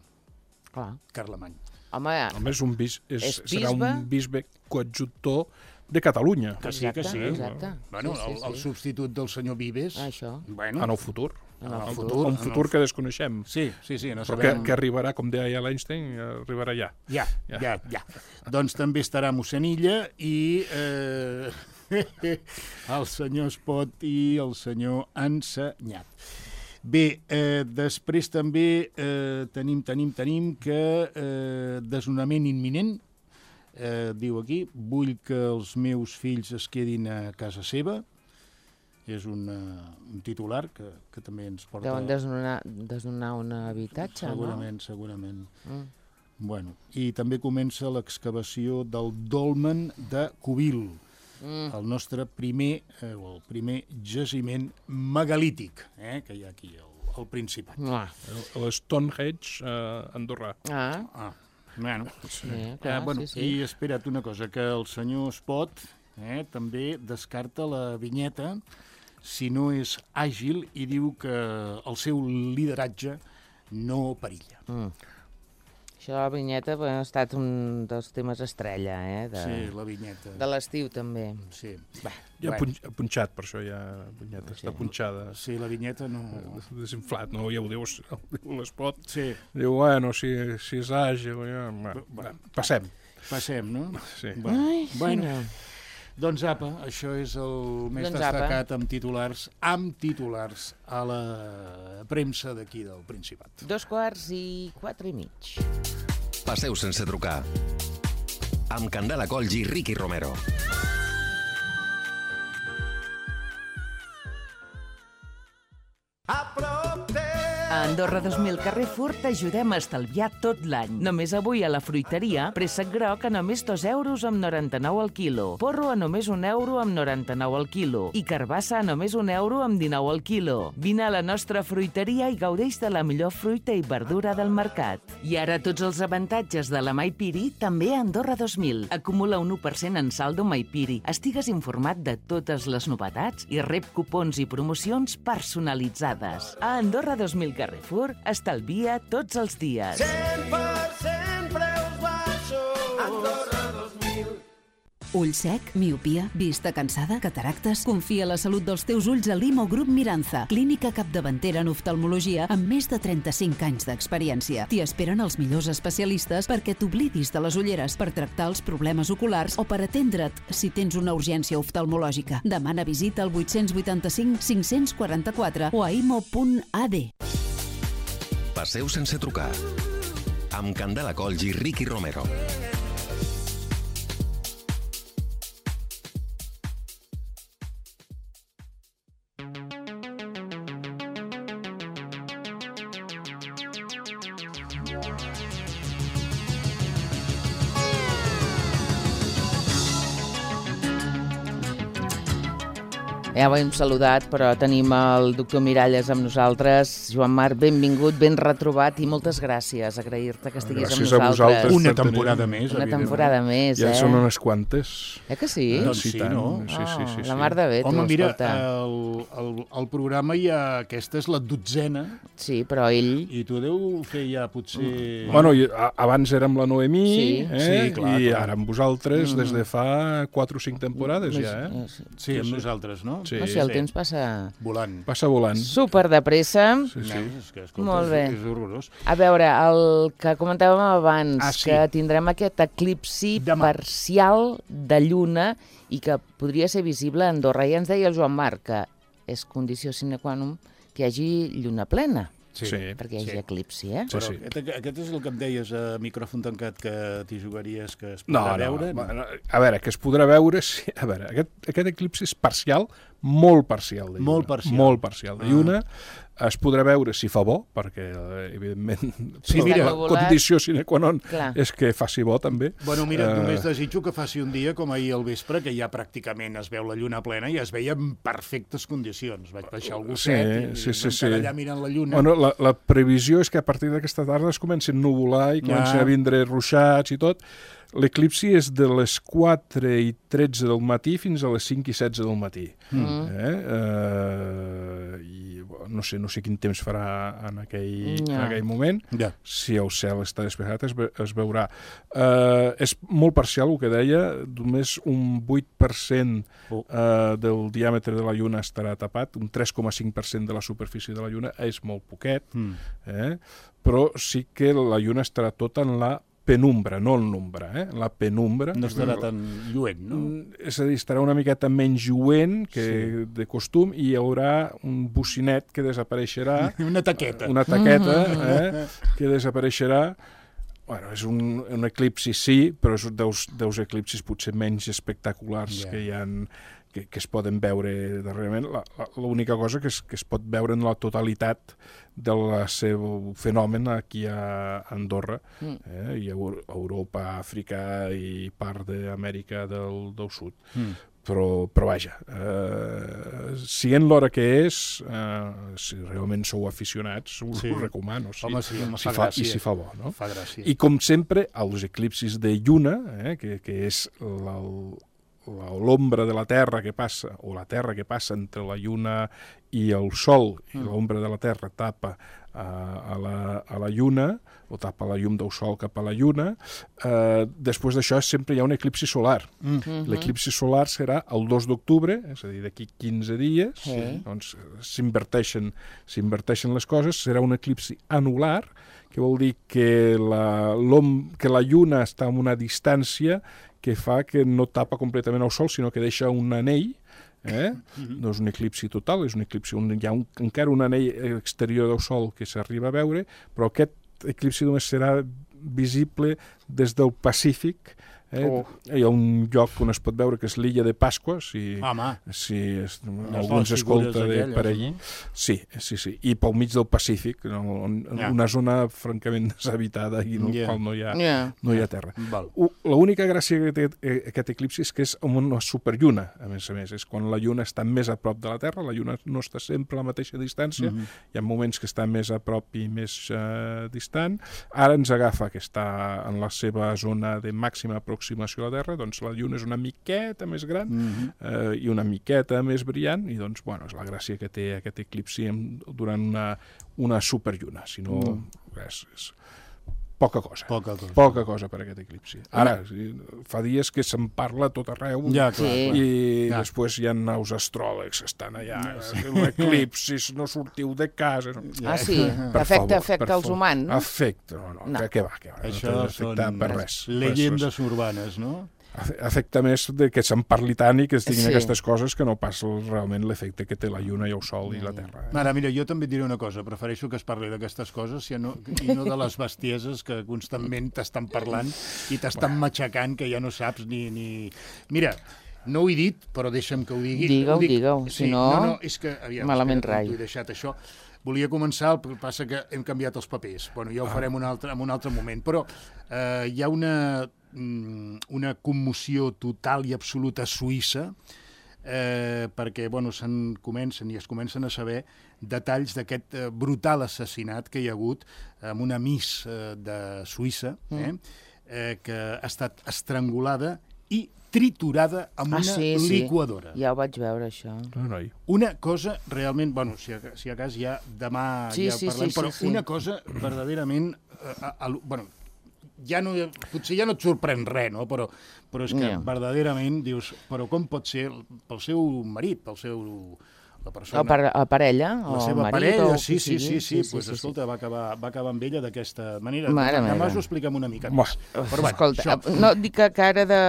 S2: Clar.
S3: Carlemany.
S2: Home,
S4: Home, és un bis, és,
S2: és
S4: serà un bisbe coadjutor de Catalunya.
S3: Que sí, que sí.
S2: Exacte.
S3: Bueno,
S2: sí, sí,
S3: el, el
S2: sí.
S3: substitut del senyor Vives.
S2: Això.
S3: Bueno,
S4: en el futur.
S3: En el
S4: en
S3: futur.
S4: Un futur
S3: el...
S4: que desconeixem.
S3: Sí, sí, sí. No
S4: Però
S3: sabem...
S4: que, que arribarà, com deia l'Einstein, arribarà ja.
S3: Ja, ja, ja. ja. Doncs també estarà mossèn Illa i eh, el senyor Espot i el senyor Ensenyat. Bé, eh, després també eh, tenim, tenim, tenim que eh, desnonament imminent, eh, diu aquí, vull que els meus fills es quedin a casa seva, és un, uh, un titular que, que també ens porta...
S2: Deuen desnonar, desnonar un habitatge,
S3: segurament,
S2: no?
S3: Segurament, segurament.
S2: Mm.
S3: Bueno, i també comença l'excavació del dolmen de Cubil, mm. el nostre primer, eh, el primer jaciment megalític, eh, que hi ha aquí al, al Principat.
S2: Ah.
S4: L'Stonehenge eh, andorrà.
S2: Ah.
S3: Ah. Bueno,
S2: sí, clar,
S3: eh, bueno,
S2: sí, sí.
S3: I espera't una cosa, que el senyor Espot eh, també descarta la vinyeta si no és àgil i diu que el seu lideratge no perilla.
S2: Mm. Això de la vinyeta ha estat un dels temes estrella, eh? De,
S3: sí, la vinyeta.
S2: De l'estiu, també.
S3: Sí.
S4: Va, ja bueno. punx, punxat, per això ja la vinyeta sí. està punxada.
S3: Sí, la vinyeta no...
S4: Desinflat, no? Ja ho diu l'Espot.
S3: Sí.
S4: Diu, bueno, si, si és àgil, ja... Bueno, bueno, passem.
S3: Passem, no?
S4: Sí.
S3: Bueno,
S2: Ai,
S3: bueno.
S2: Sí,
S3: doncs apa, això és el més doncs destacat amb titulars, amb titulars a la premsa d'aquí del Principat.
S2: Dos quarts i quatre i mig.
S9: Passeu sense trucar. Amb Candela Colls i Ricky Romero.
S11: A Andorra dos mil Carrefour t'ajudem a estalviar tot l'any. Només avui a la fruiteria, préssec groc a només dos euros amb noranta-nou al quilo, porro a només un euro amb noranta-nou al quilo i carbassa a només un euro amb dinou al quilo. Vine a la nostra fruiteria i gaudeix de la millor fruita i verdura del mercat. I ara tots els avantatges de la Maipiri també a Andorra dos mil. Acumula un u per cent en saldo Maipiri. Estigues informat de totes les novetats i rep cupons i promocions personalitzades. A Andorra dos mil Carrefour estalvia tots els dies.
S12: cent per cent preus baixos. Andorra dos mil. Ull sec, miopia, vista cansada, cataractes... Confia la salut dels teus ulls a l'Imo Grup Miranza, clínica capdavantera en oftalmologia amb més de trenta-cinc anys d'experiència. T'hi esperen els millors especialistes perquè t'oblidis de les ulleres, per tractar els problemes oculars o per atendre't si tens una urgència oftalmològica. Demana visita al vuit vuit cinc cinc quatre quatre o a imo punt a d.
S9: Passeu sense trucar. Amb Candela Colls i Ricky Romero.
S2: Ja ho hem saludat, però tenim el doctor Miralles amb nosaltres. Joan Marc, benvingut, ben retrobat i moltes gràcies. Agrair-te que estiguis
S4: gràcies
S2: amb nosaltres.
S4: A vosaltres.
S3: Una temporada més,
S2: Una temporada més,
S4: ja
S2: eh?
S4: Ja són unes quantes.
S2: Eh que sí?
S4: Eh,
S3: doncs
S4: sí,
S3: sí,
S4: tant.
S3: no?
S4: Sí, sí, sí, sí.
S2: La mar de bé, tu,
S3: Home, mira,
S2: escolta.
S3: el, el, el programa ja... Aquesta és la dotzena.
S2: Sí, però ell...
S3: I tu deu fer ja, potser...
S4: Bueno, i, a, abans érem la Noemí,
S2: Sí.
S4: eh?
S3: Sí, clar,
S4: i
S3: clar.
S4: ara amb vosaltres
S2: Mm.
S4: des de fa quatre o cinc temporades ja, eh?
S3: Sí, amb nosaltres, no?
S4: Sí.
S2: No sé, el temps passa...
S3: Volant.
S4: Passa volant.
S2: Super de pressa.
S4: Sí, sí.
S3: No, és que, escolta,
S2: Molt bé.
S3: És, és horrorós.
S2: A veure, el que comentàvem abans,
S3: Ah, sí.
S2: que tindrem aquest eclipsi
S3: Demà.
S2: parcial de lluna i que podria ser visible a Andorra. I ens deia el Joan Marc que és condició sine qua non que hi hagi lluna plena.
S3: Sí,
S2: perquè hi hagi
S3: sí.
S2: eclipsi, eh?
S3: Però aquest, aquest és el que em deies a micròfon tancat, que t'hi jugaries, que es
S4: No,
S3: podrà
S4: no,
S3: veure?
S4: no, a veure, que es podrà veure... Sí, a veure, aquest, aquest eclipsi és parcial, molt parcial de lluna.
S3: Molt parcial.
S4: Molt parcial de lluna. Es podrà veure si fa bo, perquè, evidentment,
S3: Sí,
S4: la
S3: mira,
S4: condició sine qua non
S2: Clar.
S4: és que faci bo, també.
S3: Bueno, mira,
S4: Eh,
S3: només desitjo que faci un dia com ahir al vespre, que ja pràcticament es veu la lluna plena i es veia en perfectes condicions. Vaig baixar al
S4: Sí,
S3: gosset i
S4: sí, sí, sí.
S3: allà mirant la lluna.
S4: Bueno, la, la previsió és que a partir d'aquesta tarda es comencin a nuvolar i comencin
S3: Ja.
S4: a vindre ruixats i tot. L'eclipsi és de les quatre i tretze del matí fins a les cinc i setze del matí.
S2: Mm.
S4: Eh? Eh, I no sé, no sé quin temps farà en aquell,
S2: Ja.
S4: en aquell moment.
S3: Ja.
S4: Si el cel està despejat es, ve, es veurà. Eh, és molt parcial, el que deia, només un vuit per cent
S3: Oh.
S4: eh, del diàmetre de la Lluna estarà tapat, un tres coma cinc per cent de la superfície de la Lluna és molt poquet,
S3: Mm.
S4: eh? Però sí que la Lluna estarà tota en la penumbra, no en l'ombra, eh? La penumbra.
S3: No estarà tan lluent, no?
S4: Mm, És a dir, estarà una miqueta menys lluent que sí. de costum i hi haurà un bocinet que desapareixerà.
S3: Una taqueta.
S4: Una taqueta, eh? Que desapareixerà. Bueno, és un, un eclipsi, sí, però és un dels, dels eclipsis potser menys espectaculars
S3: Ja.
S4: que hi ha, que, que es poden veure darrerament. La- la- L'única cosa que es, que es pot veure en la totalitat del seu fenomen aquí a Andorra,
S2: Mm.
S4: eh? i a Eu- Europa, Àfrica i part d'Amèrica del, del Sud.
S3: Mm.
S4: Però, però vaja, eh, siguent l'hora que és, eh, si realment sou aficionats, us
S3: Sí.
S4: ho recomano. Sí.
S3: Home, sí, home,
S4: si
S3: fa
S4: fa,
S3: gràcia.
S4: I si fa bo, no?
S3: Fa gràcia.
S4: I com sempre, els eclipsis de lluna, eh, que, que és la, la, l'ombra de la Terra que passa, o la Terra que passa entre la lluna i el Sol, i l'ombra de la Terra tapa a, a, la, a la lluna, o tapa la llum del Sol cap a la lluna, eh, després d'això sempre hi ha un eclipsi solar.
S3: Mm.
S4: L'eclipsi solar serà el dos d'octubre, és a dir, d'aquí quinze dies,
S2: Sí.
S4: doncs s'inverteixen s'inverteixen les coses, serà un eclipsi anular, que vol dir que la, l'om, que la lluna està a una distància que fa que no tapa completament el Sol, sinó que deixa un anell, eh?
S3: Mm-hmm.
S4: No és un eclipsi total, és un eclipsi on hi ha un, encara un anell exterior del Sol que s'arriba a veure, però aquest eclipsi només serà visible des del Pacífic. Eh?
S2: Oh.
S4: Hi ha un lloc on es pot veure que és l'illa de Pasqua, si,
S3: Home.
S4: si es,
S3: Les
S4: algú ens
S3: dues
S4: escolta
S3: figures
S4: de,
S3: aquelles,
S4: per allí.
S3: no?
S4: Sí, sí, sí. I pel mig del Pacífic, no, on,
S3: Ja.
S4: una zona francament deshabitada i en la
S3: Ja.
S4: qual no hi ha,
S2: Ja.
S4: no hi ha terra.
S3: Val.
S4: U- L'única gràcia que té eh, aquest eclipsi és que és amb una superlluna, a més a més. És quan la lluna està més a prop de la Terra, la lluna no està sempre a la mateixa distància,
S3: Mhm.
S4: hi ha moments que està més a prop i més eh, distant. Ara ens agafa que està en la seva zona de màxima aproximació a la Terra, doncs la lluna és una miqueta més gran
S3: Mhm.
S4: eh, i una miqueta més brillant, i doncs, bueno, és la gràcia que té aquest eclipsi en- durant una, una superlluna. Si no,
S3: Mm.
S4: res, és poca cosa.
S3: Poca cosa.
S4: Poca cosa per aquest eclipsi. Ara, fa dies que se'n parla a tot arreu
S3: ja, clar,
S4: i
S3: clar. Ja.
S4: després hi ha nous astròlegs que estan allà. L'eclipsi, no sortiu de casa.
S2: Ah, sí? Afecta, afecta els humans?
S4: Afecta, no, no, no. Que va, que va.
S3: Això
S4: no són
S3: per res. Llegendes urbanes, no?
S4: Afecta més de que se'n parli tant i que es diguin sí. aquestes coses que no pas realment l'efecte que té la Lluna i el Sol i la Terra. Eh?
S3: Mare, mira, jo també et diré una cosa, prefereixo que es parli d'aquestes coses i no, i no de les bestieses que constantment t'estan parlant i t'estan bueno. matxacant que ja no saps ni... ni... Mira, no ho he dit, però deixa'm que ho digui.
S2: Digue-ho,
S3: dic...
S2: digue-ho,
S3: sí,
S2: si no,
S3: no, no és que, aviam,
S2: malament rai.
S3: T'ho he deixat això. Volia començar, el que passa que hem canviat els papers. Bueno, ja ho farem un altre, en un altre moment, però eh, hi ha una... una commoció total i absoluta a Suïssa eh, perquè bueno, se'n comencen i es comencen a saber detalls d'aquest eh, brutal assassinat que hi ha hagut amb una miss eh, de Suïssa eh, eh, que ha estat estrangulada i triturada amb
S2: ah,
S3: una
S2: sí,
S3: liquadora.
S2: Sí. Ja ho vaig veure, això.
S3: Una cosa realment... Bueno, si a, si a cas ja demà
S2: sí,
S3: ja
S2: sí,
S3: parlem,
S2: sí,
S3: però
S2: sí, sí.
S3: una cosa verdaderament... Eh, a, a, bueno, ja no, potser ja no et sorprèn res, no? però, però és que yeah. verdaderament dius, però com pot ser pel seu marit, pel seu... la persona...
S2: O per la parella,
S3: la
S2: o
S3: seva
S2: marit,
S3: parella,
S2: o
S3: sí, sí, sí, sí, sí, sí, pues, sí, escolta, sí. Va, acabar, va acabar amb ella d'aquesta manera.
S2: Mare
S3: Demà us ho expliquem una mica més.
S2: Però, bueno, escolta, això... no, dic que, que ara de...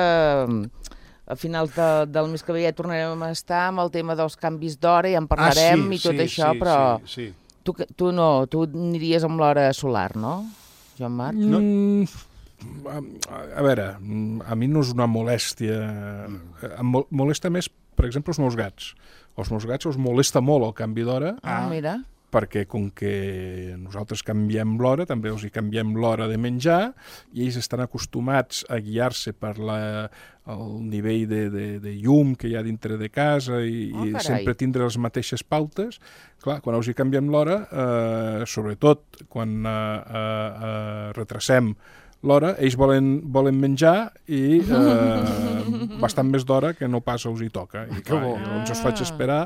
S2: a finals de, del mes que ve ja tornarem a estar amb el tema dels canvis d'hora, ja en parlarem ah, sí, i tot
S3: sí,
S2: això,
S3: sí,
S2: però
S3: sí, sí.
S2: Tu, tu no, tu aniries amb l'hora solar, no? Joan Marc?
S4: No. A, a veure, a mi no és una molèstia. Em molesta més, per exemple, els meus gats. Els meus gats els molesta molt el canvi d'hora.
S2: Ah, mira.
S4: Perquè com que nosaltres canviem l'hora, també els hi canviem l'hora de menjar, i ells estan acostumats a guiar-se per la, el nivell de, de, de llum que hi ha dintre de casa i, oh, i sempre tindre les mateixes pautes. Clar, quan els hi canviem l'hora, eh, sobretot quan eh, eh, retracem l'hora, ells volen, volen menjar i eh, bastant més d'hora que no pas els hi toca. I clar, ah. llavors els faig esperar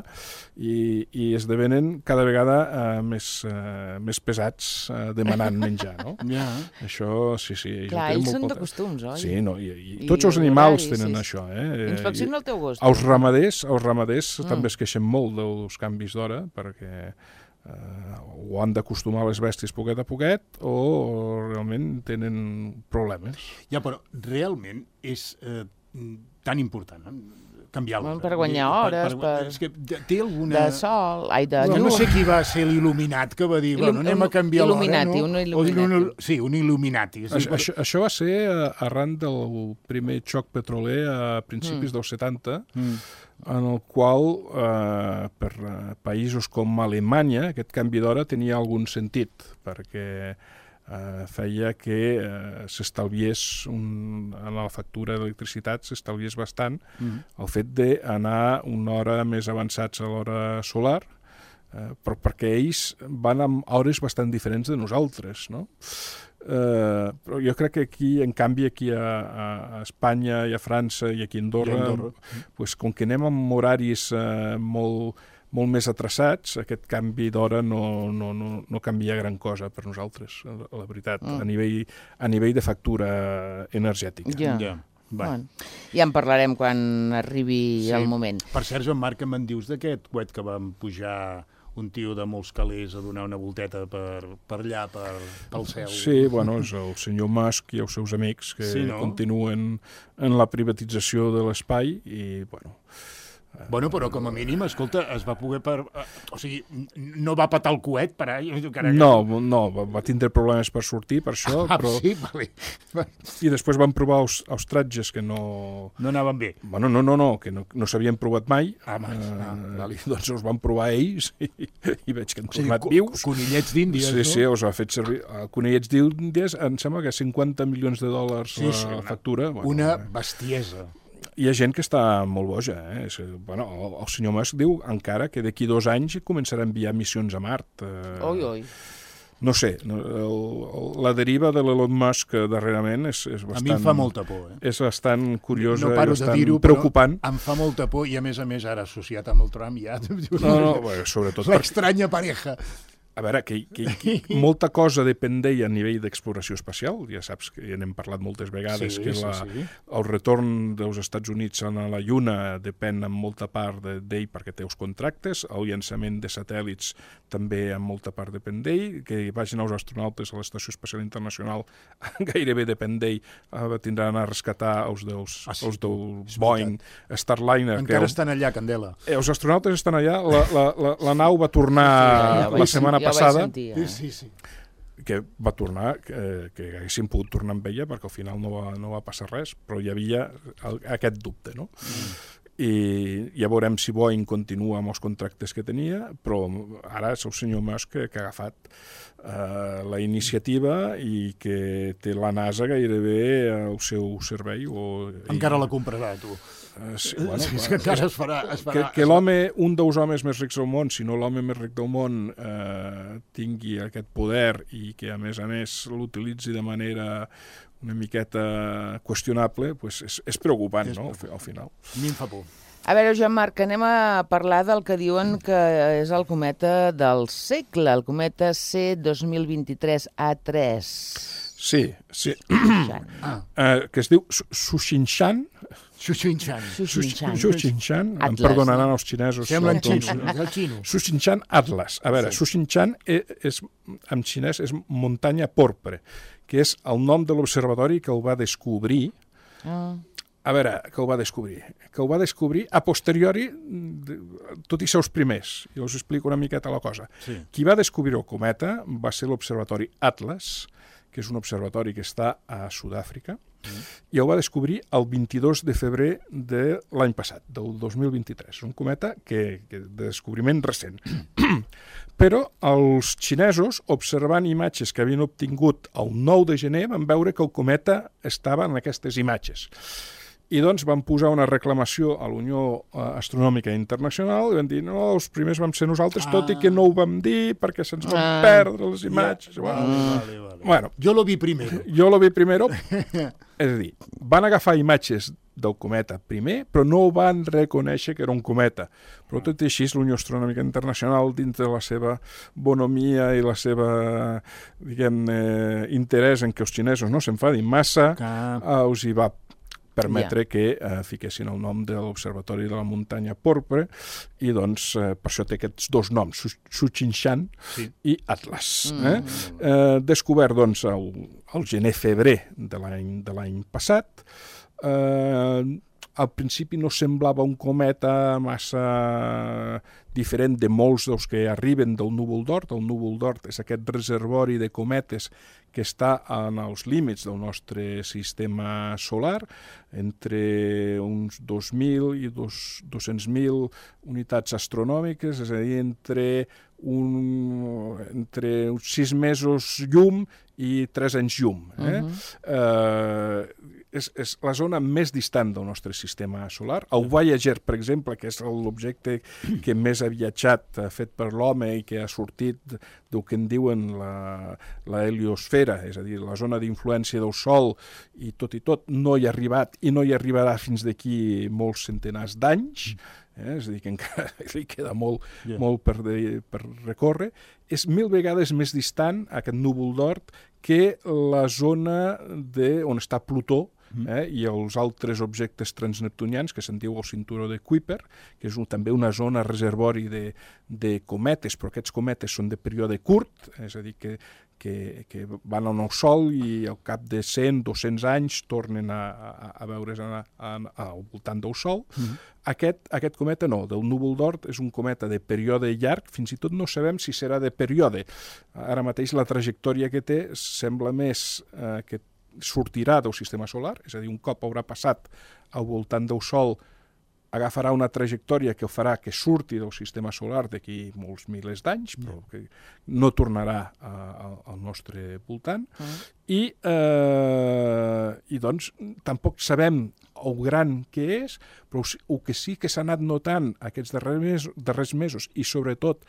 S4: i, i esdevenen cada vegada eh, més, eh, més pesats eh, demanant menjar, no?
S3: Yeah.
S4: Això, sí, sí.
S2: Clar, ells són de costums, oi?
S4: Sí, no, i, i, I tots els animals tenen sí, això, eh?
S2: Inspecciona el teu gos.
S4: Els ramaders, els ramaders mm. també es queixen molt dels canvis d'hora, perquè Uh, o han d'acostumar les bèsties poquet a poquet o realment tenen problemes.
S3: Ja, però realment és eh, tan important eh? canviar l'hora.
S2: Per guanyar hores, per... per...
S3: És que té alguna...
S2: De sol, ai, de...
S3: No, no sé qui va ser l'il·luminat que va dir, bueno, anem a canviar l'hora, no?
S2: Un il·luminati.
S3: Sí, un il·luminati.
S4: Això, això, això va ser arran del primer xoc petroler a principis mm. dels setanta, mm. en el qual, eh, per països com Alemanya, aquest canvi d'hora tenia algun sentit, perquè eh, feia que eh, s'estalviés, un, en la factura d'electricitat, s'estalviés bastant mm. el fet d'anar una hora més avançats a l'hora solar, eh, però perquè ells van amb hores bastant diferents de nosaltres, no? Uh, però jo crec que aquí, en canvi, aquí a, a Espanya i a França i aquí a Andorra, I a Andorra. Pues, com que anem amb horaris uh, molt, molt més atrasats, aquest canvi d'hora no, no, no, no canvia gran cosa per nosaltres, la veritat, mm. a, nivell, a nivell de factura energètica.
S2: Ja. Yeah. Bueno, ja en parlarem quan arribi sí. el moment.
S3: Per cert, Joan Marc, que me'n dius d'aquest coet que vam pujar un tio de molts calés a donar una volteta per, per allà, per, pel cel.
S4: Sí, bueno, és el senyor Musk i els seus amics que sí, no? continuen en la privatització de l'espai i, bueno...
S3: Bueno, però com a mínim, escolta, es va poder... Per... O sigui, no va patar el coet per ahí?
S4: No, no, va tindre problemes per sortir, per això,
S3: ah,
S4: però...
S3: sí, vale.
S4: I després van provar els, els tratges que no...
S3: No anaven bé.
S4: Bueno, no, no, no, que no, no s'havien provat mai.
S3: Ah, mai.
S4: Uh,
S3: ah, vale.
S4: Doncs els van provar ells i, i veig que han
S3: o sigui,
S4: tornat vius.
S3: Conillets d'Índies,
S4: sí,
S3: no?
S4: Sí, sí, els ha fet servir... Uh, conillets d'Índies, em sembla que cinquanta milions de dòlars sí, sí, la una, factura. Bueno,
S3: una bestiesa.
S4: Hi ha gent que està molt boja. Eh? Bueno, el, el senyor Musk diu encara que d'aquí dos anys començarà a enviar missions a Mart. Eh,
S2: oi, oi.
S4: No sé, el, el, la deriva de l'Elon Musk darrerament és, és bastant...
S3: A mi em fa molta por. Eh?
S4: És bastant curiosa
S3: no
S4: i bastant preocupant.
S3: Em fa molta por i, a més a més, ara associat amb el Trump ja...
S4: No, no, bueno, sobretot...
S3: L'estranya pareja.
S4: A veure, que, que, que molta cosa depèn d'ell a nivell d'exploració espacial. Ja saps que ja n'hem parlat moltes vegades, sí, que la, sí, sí. el retorn dels Estats Units a la Lluna depèn en molta part d'ell perquè té els contractes, el llançament de satèl·lits també en molta part depèn d'ell, que vagin els astronautes a l'Estació Espacial Internacional gairebé depèn d'ell, tindran a rescatar els dels, ah, sí. els del Boeing, Starliner.
S3: Encara
S4: que
S3: estan allà, Candela.
S4: Els astronautes estan allà, la, la, la, la nau va tornar sí, sí, la setmana
S2: ja
S4: passada,
S2: sentir, eh?
S3: sí, sí.
S4: que va tornar, que, que haguéssim pogut tornar amb ella, perquè al final no va, no va passar res, però hi havia el, aquest dubte, no? Mm. I ja veurem si Boeing continua amb els contractes que tenia, però ara és el senyor Musk que, que ha agafat uh, la iniciativa i que té la NASA gairebé al seu servei. O,
S3: encara
S4: i...
S3: la comprarà, tu.
S4: Uh, sí, bueno,
S3: sí, és que encara es farà... Es farà
S4: que que l'home, un dels homes més rics del món, si no l'home més ric del món, eh, tingui aquest poder i que, a més a més, l'utilitzi de manera una miqueta qüestionable, pues és, és preocupant, és no?, al final.
S3: A mi em fa por.
S2: A veure, Joan Marc, anem a parlar del que diuen que és el cometa del segle, el cometa C dos mil vint-i-tres A tres.
S4: Sí, sí. Ah. Uh, que es diu Sushinshan.
S3: Sushinshan.
S2: Sushinshan.
S4: Sushinshan. Em perdonaran els xinesos.
S3: Sembla en xino, el xino.
S4: Sushinshan Atlas. A veure, sí. Sushinshan és, és, en xinès és muntanya porpra, que és el nom de l'observatori que el va descobrir. Ah. A veure, que el va descobrir. Que el va descobrir a posteriori, tot i ser els primers. Jo us explico una miqueta la cosa. Sí. Qui va descobrir el cometa va ser l'observatori Atlas, que és un observatori que està a Sud-àfrica, mm. i el va descobrir el vint-i-dos de febrer de l'any passat, del dos mil vint-i-tres. Un cometa que, que de descobriment recent. Però els xinesos, observant imatges que havien obtingut el nou de gener, van veure que el cometa estava en aquestes imatges. I doncs van posar una reclamació a la Unió Astronòmica Internacional i van dir, no, els primers vam ser nosaltres, ah. tot i que no ho vam dir perquè se'ns van ah. perdre les imatges. Ja. Bueno,
S3: vale, vale, vale.
S4: Bueno,
S3: jo lo vi primero.
S4: Jo lo vi primero. És a dir, van agafar imatges del cometa primer, però no van reconèixer que era un cometa. Però tot i així, la Unió Astronòmica Internacional, dins de la seva bonomia i la seva, diguem-ne, interès en que els xinesos no s'enfadin massa, ah. uh, us hi va permetre yeah. que eh, fiquessin el nom de l'Observatori de la Muntanya Porpra i doncs eh, per això té aquests dos noms, Sushinshan sí. i Atlas. Mm. Eh? Eh, descobert doncs el, el gener-febrer de l'any de l'any passat. Eh, al principi no semblava un cometa massa diferent de molts dels que arriben del núvol d'Oort. El núvol d'Oort és aquest reservori de cometes que està en els límits del nostre sistema solar, entre uns dos mil i dos-cents mil unitats astronòmiques, és a dir, entre, un, entre uns sis mesos llum i tres anys llum. Eh? Uh-huh. eh, és, és la zona més distant del nostre sistema solar. El Voyager, per exemple, que és l'objecte que més ha viatjat, fet per l'home i que ha sortit del que en diuen la, la heliosfera, és a dir, la zona d'influència del Sol, i tot i tot no hi ha arribat i no hi arribarà fins d'aquí molts centenars d'anys, eh? És a dir, que encara li queda molt, yeah. molt per, de, per recórrer, és mil vegades més distant aquest núvol d'Oort que la zona de, on està Plutó, Eh, i els altres objectes transneptunians que se'n diu el cinturó de Kuiper, que és un, també una zona reservori de, de cometes, però aquests cometes són de període curt, és a dir, que, que, que van al Sol i al cap de cent, dos-cents anys tornen a, a, a veure's a, a, a, al voltant del Sol. Mm-hmm. Aquest, aquest cometa no, del núvol d'Oort és un cometa de període llarg, fins i tot no sabem si serà de període. Ara mateix la trajectòria que té sembla més eh, que sortirà del sistema solar, és a dir, un cop haurà passat al voltant del Sol, agafarà una trajectòria que farà que surti del sistema solar d'aquí molts milers d'anys, però que no tornarà a, a, al nostre voltant. Uh-huh. I, eh, I doncs tampoc sabem el gran que és, però el que sí que s'ha anat notant aquests darrers, mes, darrers mesos, i sobretot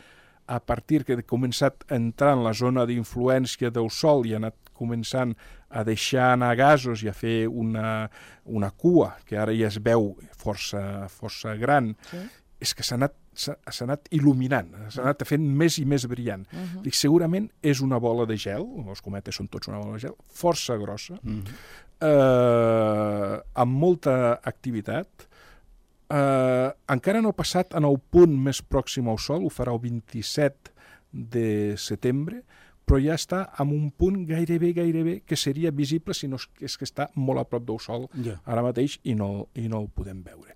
S4: a partir que ha començat a entrar en la zona d'influència del Sol i ha anat començant a deixar anar gasos i a fer una, una cua, que ara ja es veu força, força gran, sí. És que s'ha anat s'ha anat il·luminant, s'ha anat fent més i més brillant. Uh-huh. Dic, segurament és una bola de gel, els cometes són tots una bola de gel, força grossa, uh-huh. eh, amb molta activitat. Eh, encara no ha passat en el punt més pròxim al Sol, ho farà el vint-i-set de setembre, però ja està en un punt gairebé, gairebé, que seria visible si no és que està molt a prop del Sol yeah. ara mateix i no, i no el podem veure.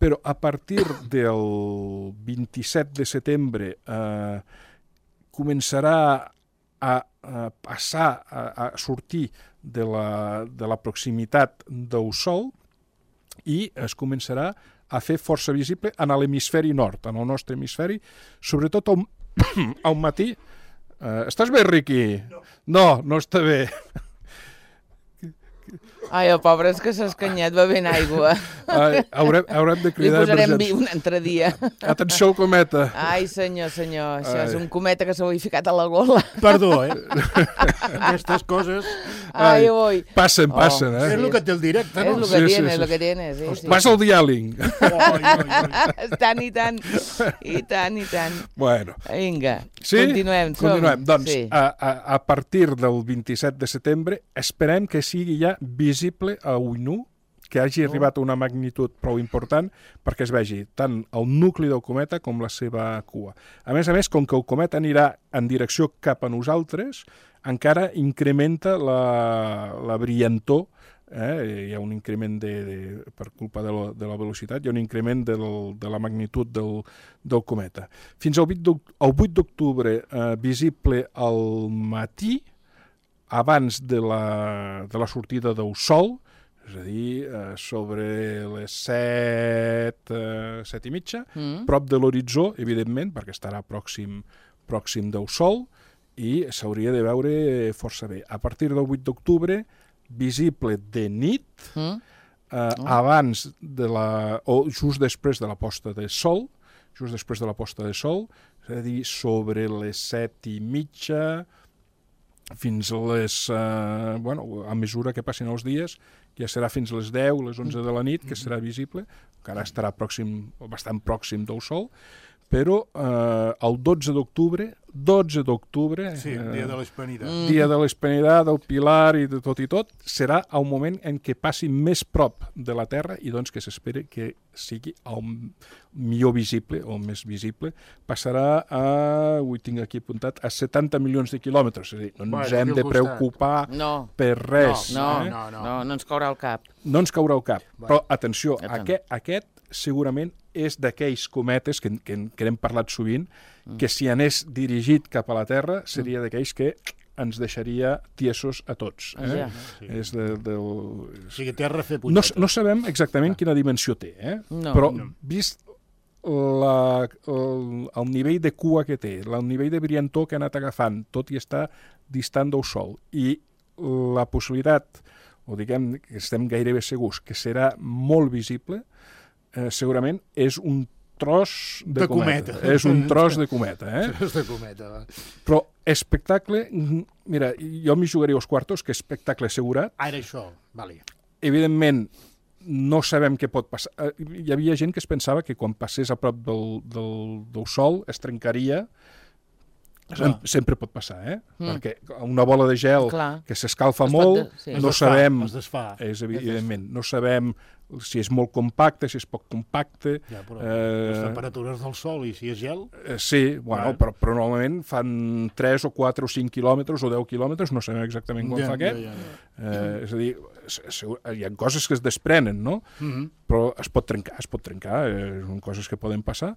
S4: Però a partir del vint-i-set de setembre eh, començarà a, a passar, a, a sortir de la, de la proximitat del Sol i es començarà a fer força visible en l'hemisferi nord, en el nostre hemisferi, sobretot al, al matí. Uh, estàs bé, Riqui? No. No, no està bé.
S2: Ai, el pobre és que s'ha escanyat bevent aigua.
S4: Ai, haurem, haurem de cridar
S2: emergència. Li posarem
S4: vi
S2: un altre dia.
S4: Atenció al cometa.
S2: Ai, senyor, senyor, això Ai. és un cometa que s'ho ha ficat a la gola.
S3: Perdó, eh? Aquestes coses...
S2: Ai, oi.
S4: Passen, passen, oh, eh?
S3: És el que té el directe, no?
S2: És el que sí, tiene, sí, és el que tiene, sí. sí.
S4: Passa el diàling.
S2: Tant i tant, i tant, i tant.
S4: Bueno.
S2: Vinga,
S4: sí?
S2: continuem. Som.
S4: Continuem. Doncs,
S2: sí.
S4: a, a, a partir del vint-i-set de setembre, esperem que sigui ja visible a ull nu, que hagi oh. arribat a una magnitud prou important perquè es vegi tant el nucli del cometa com la seva cua. A més a més, com que el cometa anirà en direcció cap a nosaltres, encara incrementa la, la brillantor, eh? Hi ha un increment de, de, per culpa de la, de la velocitat, hi ha un increment de, de la magnitud del, del cometa. Fins al vuit d'octubre eh, visible al matí, abans de la, de la sortida del Sol, és a dir, eh, sobre les set, eh, set i mitja, mm. prop de l'horitzó, evidentment, perquè estarà pròxim, pròxim del Sol, i s'hauria de veure força bé. A partir del vuit d'octubre, visible de nit, mm. eh, oh. abans de la, o just després de la posta de Sol, just després de la posta de Sol, és a dir, sobre les set i mitja, fins a les... Eh, bueno, a mesura que passin els dies, ja serà fins a les deu, les onze de la nit, que serà visible, encara estarà pròxim, bastant pròxim del Sol, però eh, el dotze d'octubre, dotze d'octubre...
S3: Sí, eh, dia de l'Hispanidad.
S4: Mm. Dia de l'Hispanidad, del Pilar i de tot i tot, serà el moment en què passi més prop de la Terra i doncs que s'espera que sigui el millor visible, o més visible, passarà a, ho tinc aquí apuntat, a setanta milions de quilòmetres. És a dir, no ens bueno, hem de preocupar
S2: no.
S4: per res.
S2: No,
S4: eh?
S2: no, no, no, no ens caurà el cap.
S4: No ens caurà el cap. Bueno. Però, atenció, aquest, aquest segurament és d'aquells cometes que, que, que n'hem parlat sovint, mm. que si anés dirigit cap a la Terra seria d'aquells que ens deixaria tiesos a tots. Eh?
S2: Ja.
S3: Sí.
S4: És de, de...
S3: O sigui, Terra fer
S4: no, no sabem exactament ah. quina dimensió té, eh?
S2: no.
S4: però
S2: no.
S4: vist la, el, el nivell de cua que té, el nivell de brillantor que ha anat agafant, tot i estar distant del Sol, i la possibilitat, o diguem que estem gairebé segurs, que serà molt visible, eh, segurament és un tros de,
S3: de cometa.
S4: cometa. És un tros de cometa, eh?
S3: Tros de cometa, va.
S4: Però espectacle, mira, jo m'hi jugaria als quartos, que espectacle assegurat.
S3: Ara això, vale.
S4: Evidentment, no sabem què pot passar. Hi havia gent que es pensava que quan passés a prop del, del, del Sol es trencaria. No. Sempre pot passar, eh? Mm. Perquè una bola de gel Clar. que s'escalfa molt, de... sí. no
S3: es
S4: sabem...
S3: Es desfà.
S4: És evidentment, no sabem si és molt compacte, si és poc compacte...
S3: Ja, però
S4: eh...
S3: les temperatures del Sol i si és gel...
S4: Eh, sí, bueno, però, però normalment fan tres o quatre o cinc quilòmetres o deu quilòmetres, no sabem exactament quan
S3: ja,
S4: fa aquest.
S3: Ja, ja, ja.
S4: Eh, és a dir, hi ha coses que es desprenen, no? Mm-hmm. Però es pot trencar, es pot trencar, eh, són coses que poden passar.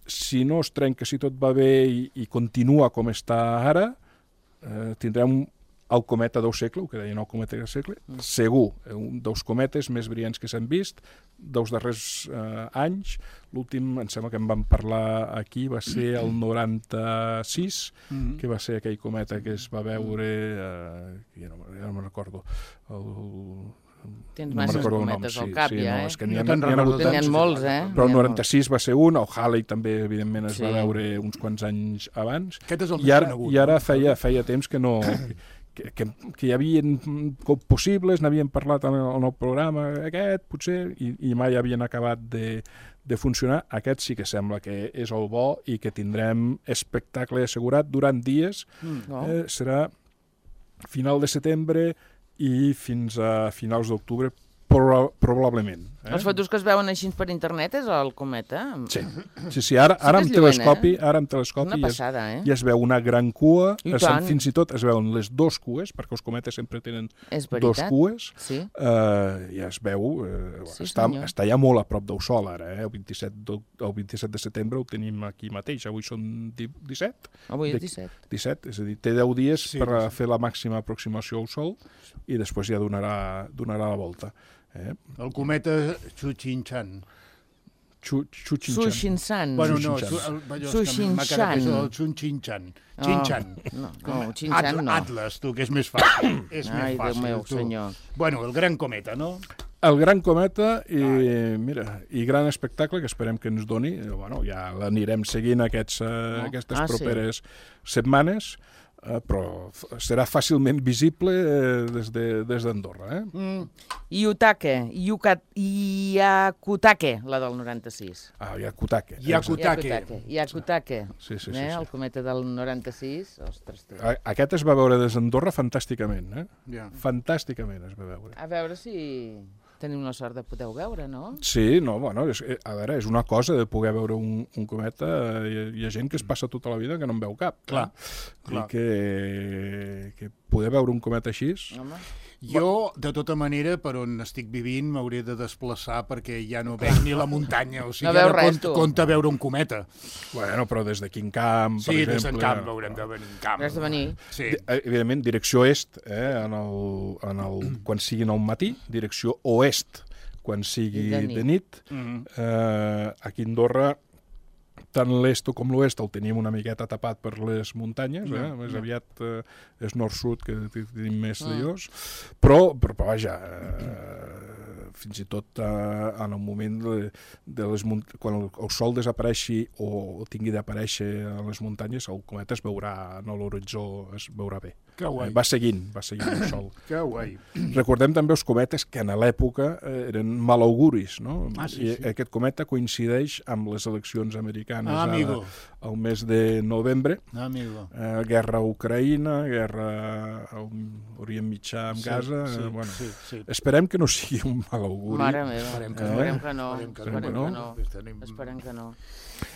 S4: Si no es trenca, si tot va bé i, i continua com està ara, eh, tindrem el cometa del segle, el que deien el cometa del segle, mm. segur, un dels cometes més brillants que s'han vist dels darrers eh, anys. L'últim, em sembla que en vam parlar aquí, va ser el noranta-sis, mm. que va ser aquell cometa que es va veure, eh, ja, no, ja no me'n recordo, el...
S2: Tens
S4: no
S2: masses cometes
S4: nom,
S2: al cap,
S4: sí,
S2: ja,
S4: no,
S2: eh?
S4: és que n'hi ha, n'hi ha hagut
S2: tants, molts, eh?
S4: Però el noranta-sis va ser un, el Halley també, evidentment, es sí. va veure uns quants anys abans.
S3: Aquest és el
S4: I ara, i ara feia, feia temps que no, que, que, que hi havia possibles, n'havien parlat en el, en el programa aquest, potser, i, i mai havien acabat de, de funcionar. Aquest sí que sembla que és el bo i que tindrem espectacle assegurat durant dies. Mm. Eh, serà final de setembre i fins a finals d'octubre, Proba probablement. Eh?
S2: Les fotos que es veuen així per internet és el cometa?
S4: Sí, sí, sí. Ara, ara, amb telescopi, eh? ara amb telescopi
S2: una passada,
S4: ja,
S2: eh?
S4: ja es veu una gran cua,
S2: I
S4: es, fins i tot es veuen les dos cues, perquè els cometes sempre tenen dos cues,
S2: sí.
S4: eh, ja es veu, eh, sí, està, està ja molt a prop del Sol ara, eh? el, vint-i-set de, el vint-i-set de setembre ho tenim aquí mateix, avui són disset?
S2: Avui és disset.
S4: disset, és a dir, té deu dies sí, per sí. fer la màxima aproximació al Sol i després ja donarà, donarà la volta. Eh?
S3: El cometa Chuchinchan.
S2: Sushinchan.
S3: Bueno, no, Sushinchan. El Chuchinchan. Chinchan.
S2: No, no, Chinchan no.
S3: Atlas, tu, que és més fàcil. És
S2: Ai,
S3: més fàcil,
S2: Déu meu,
S3: tu.
S2: senyor.
S3: Bueno, el gran cometa, no?
S4: El gran cometa i, mira, i gran espectacle que esperem que ens doni. Bueno, ja l'anirem seguint aquests, no? aquestes ah, properes sí. setmanes. Uh, però serà fàcilment visible uh, des d'Andorra. De, eh?
S2: Mm. Iutake, Iakutake, la del noranta-sis.
S4: Ah, Iakutake.
S3: Iakutake.
S2: Iakutake.
S4: Sí, sí, sí,
S2: eh?
S4: sí.
S2: El cometa del noranta-sis. Ostres, tu.
S4: Aquest es va veure des d'Andorra fantàsticament. Eh?
S3: Yeah.
S4: Fantàsticament es va veure.
S2: A veure si tenim la sort de poder veure, no?
S4: Sí, no, bueno, és, a veure, és una cosa de poder veure un, un cometa, hi, hi ha gent que es passa tota la vida que no en veu cap.
S3: Clar,
S4: eh?
S3: clar.
S4: I que, que poder veure un cometa així...
S2: Home.
S3: Jo, de tota manera, per on estic vivint, m'hauré de desplaçar perquè ja no veig ni la muntanya. O sigui,
S2: no veus res,
S3: compte, compte veure un cometa.
S4: Bueno, però des de quin camp,
S3: sí,
S4: per exemple...
S3: Sí, des del camp haurem de venir en camp.
S2: Has de venir.
S3: Sí.
S4: Evidentment, direcció est, eh, en el, en el, quan siguin al matí, direcció oest, quan sigui de nit. De nit. Mm-hmm. eh, aquí a Andorra, tant l'est com l'oest el tenim una miqueta tapat per les muntanyes, eh? Més no. aviat eh, és nord-sud que tenim més mm. de llos, però, però, però vaja, eh, fins i tot eh, en el moment de, de les quan el, el sol desapareixi o tingui d'aparèixer a les muntanyes, el cometa es veurà en l'horitzó, es veurà bé.
S3: Que guai.
S4: Eh, va seguint, va seguint el sol.
S3: Que guai.
S4: Recordem també els cometes que en l'època eh, eren malauguris, no?
S3: Ah, sí,
S4: I
S3: sí.
S4: aquest cometa coincideix amb les eleccions americanes
S3: ah,
S4: ara, al mes de novembre.
S3: Ah, amigo.
S4: Eh, guerra a Ucraïna, guerra a Orient Mitjà amb
S3: sí,
S4: Gaza.
S3: Sí,
S4: eh, bueno,
S3: sí, sí.
S4: Esperem que no sigui un malauguri.
S2: Mare meva, esperem que, eh? esperem que no.
S3: Esperem que
S2: esperem
S3: no.
S2: que no. Esperem que no.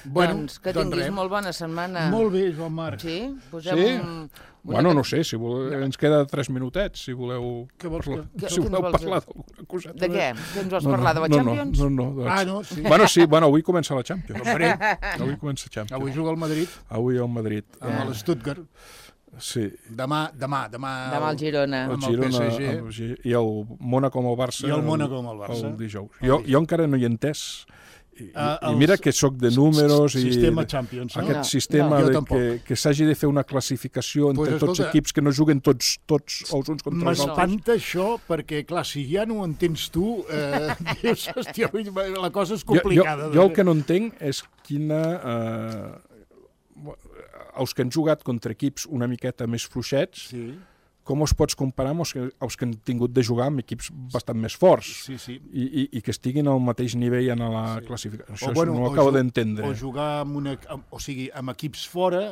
S3: Bueno,
S2: doncs que tinguis doncs molt bona setmana.
S3: Molt bé, Joan Marc.
S2: Sí? Posem
S4: sí?
S2: Un...
S4: Bueno, no sé, si voleu, ens queda tres minutets, si voleu,
S3: que vols,
S4: parlar,
S2: que,
S4: si voleu
S2: vols...
S4: parlar d'alguna coseta.
S2: De què? Que ens vols
S4: no,
S2: parlar de la
S4: no,
S2: Champions?
S4: No, no, no.
S3: Ah, no, sí.
S4: Bueno, sí, bueno, avui comença la Champions. Avui comença la Champions.
S3: Avui juga el Madrid.
S4: Avui el Madrid.
S3: Amb eh. l'Stuttgart.
S4: Sí.
S3: Demà, demà, demà...
S2: Demà el Girona.
S4: El Girona, el P S G. I el Mónaco amb el Barça.
S3: I el Mónaco amb el Barça.
S4: El dijous. Jo, jo encara no hi he entès. I, uh, i mira que sóc de números i
S3: sistema Champions, no?
S4: aquest
S3: no,
S4: sistema
S3: no,
S4: de que, que s'hagi de fer una classificació entre pues, tots els equips que no juguen tots, tots els uns contra els altres.
S3: M'espanta això perquè, clar, si ja no ho entens tu, eh, dius, hòstia, la cosa és complicada.
S4: Jo, jo, jo el que no entenc és quina... Eh, els que han jugat contra equips una miqueta més fluixets,
S3: sí.
S4: com els pots comparar amb els que, els que han tingut de jugar amb equips bastant més forts
S3: sí, sí.
S4: I, i, i que estiguin al mateix nivell en la sí. classificació. Això
S3: o, bueno,
S4: no ho acabo d'entendre.
S3: O jugar amb, una, o sigui, amb equips fora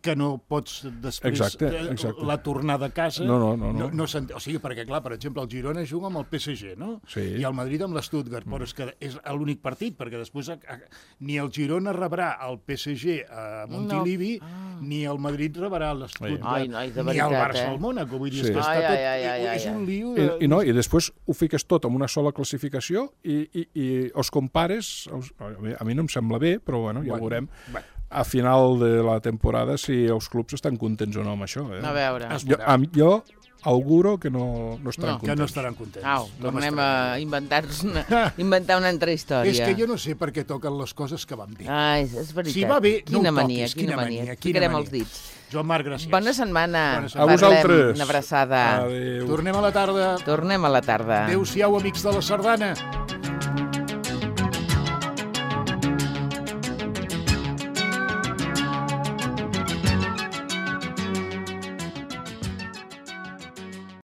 S3: que no pots després
S4: exacte, exacte.
S3: la tornada a casa.
S4: No, no, no. no.
S3: no, no o sigui, perquè, clar, per exemple, el Girona juga amb el P S G, no?
S4: Sí.
S3: I el Madrid amb l'Stuttgart, però és que és l'únic partit, perquè després a, a, ni el Girona rebrà el P S G a Montilivi, no. ah. ni el Madrid rebrà l'Stuttgart, ni el Barça al eh? Mónaco. Vull dir, sí. és que està tot... Ai, ai, ai, ai, és un lío... De...
S4: I, i, no, I després ho fiques tot en una sola classificació i, i, i els compares... Els, a mi no em sembla bé, però bueno, ja bueno, ho veurem. Bueno. A final de la temporada si els clubs estan contents o no amb això. Eh?
S2: A veure.
S4: Jo, a, jo auguro que no, no estaran
S2: no,
S4: contents.
S3: Que no estaran contents.
S2: Au, tornem a inventar una, inventar una altra història.
S3: És que jo no sé per què toquen les coses que van bé.
S2: Ai, és veritat.
S3: Si va bé,
S2: quina
S3: no ho
S2: mania,
S3: toquis.
S2: Quina, quina mania, mania. Ficarem els dits.
S3: Joan Marc, gràcies.
S2: Bona setmana.
S3: Bona setmana.
S4: A vosaltres.
S2: Una abraçada.
S4: Adéu.
S3: Tornem a la tarda.
S2: Tornem a la tarda.
S3: Adéu-siau, amics de la sardana.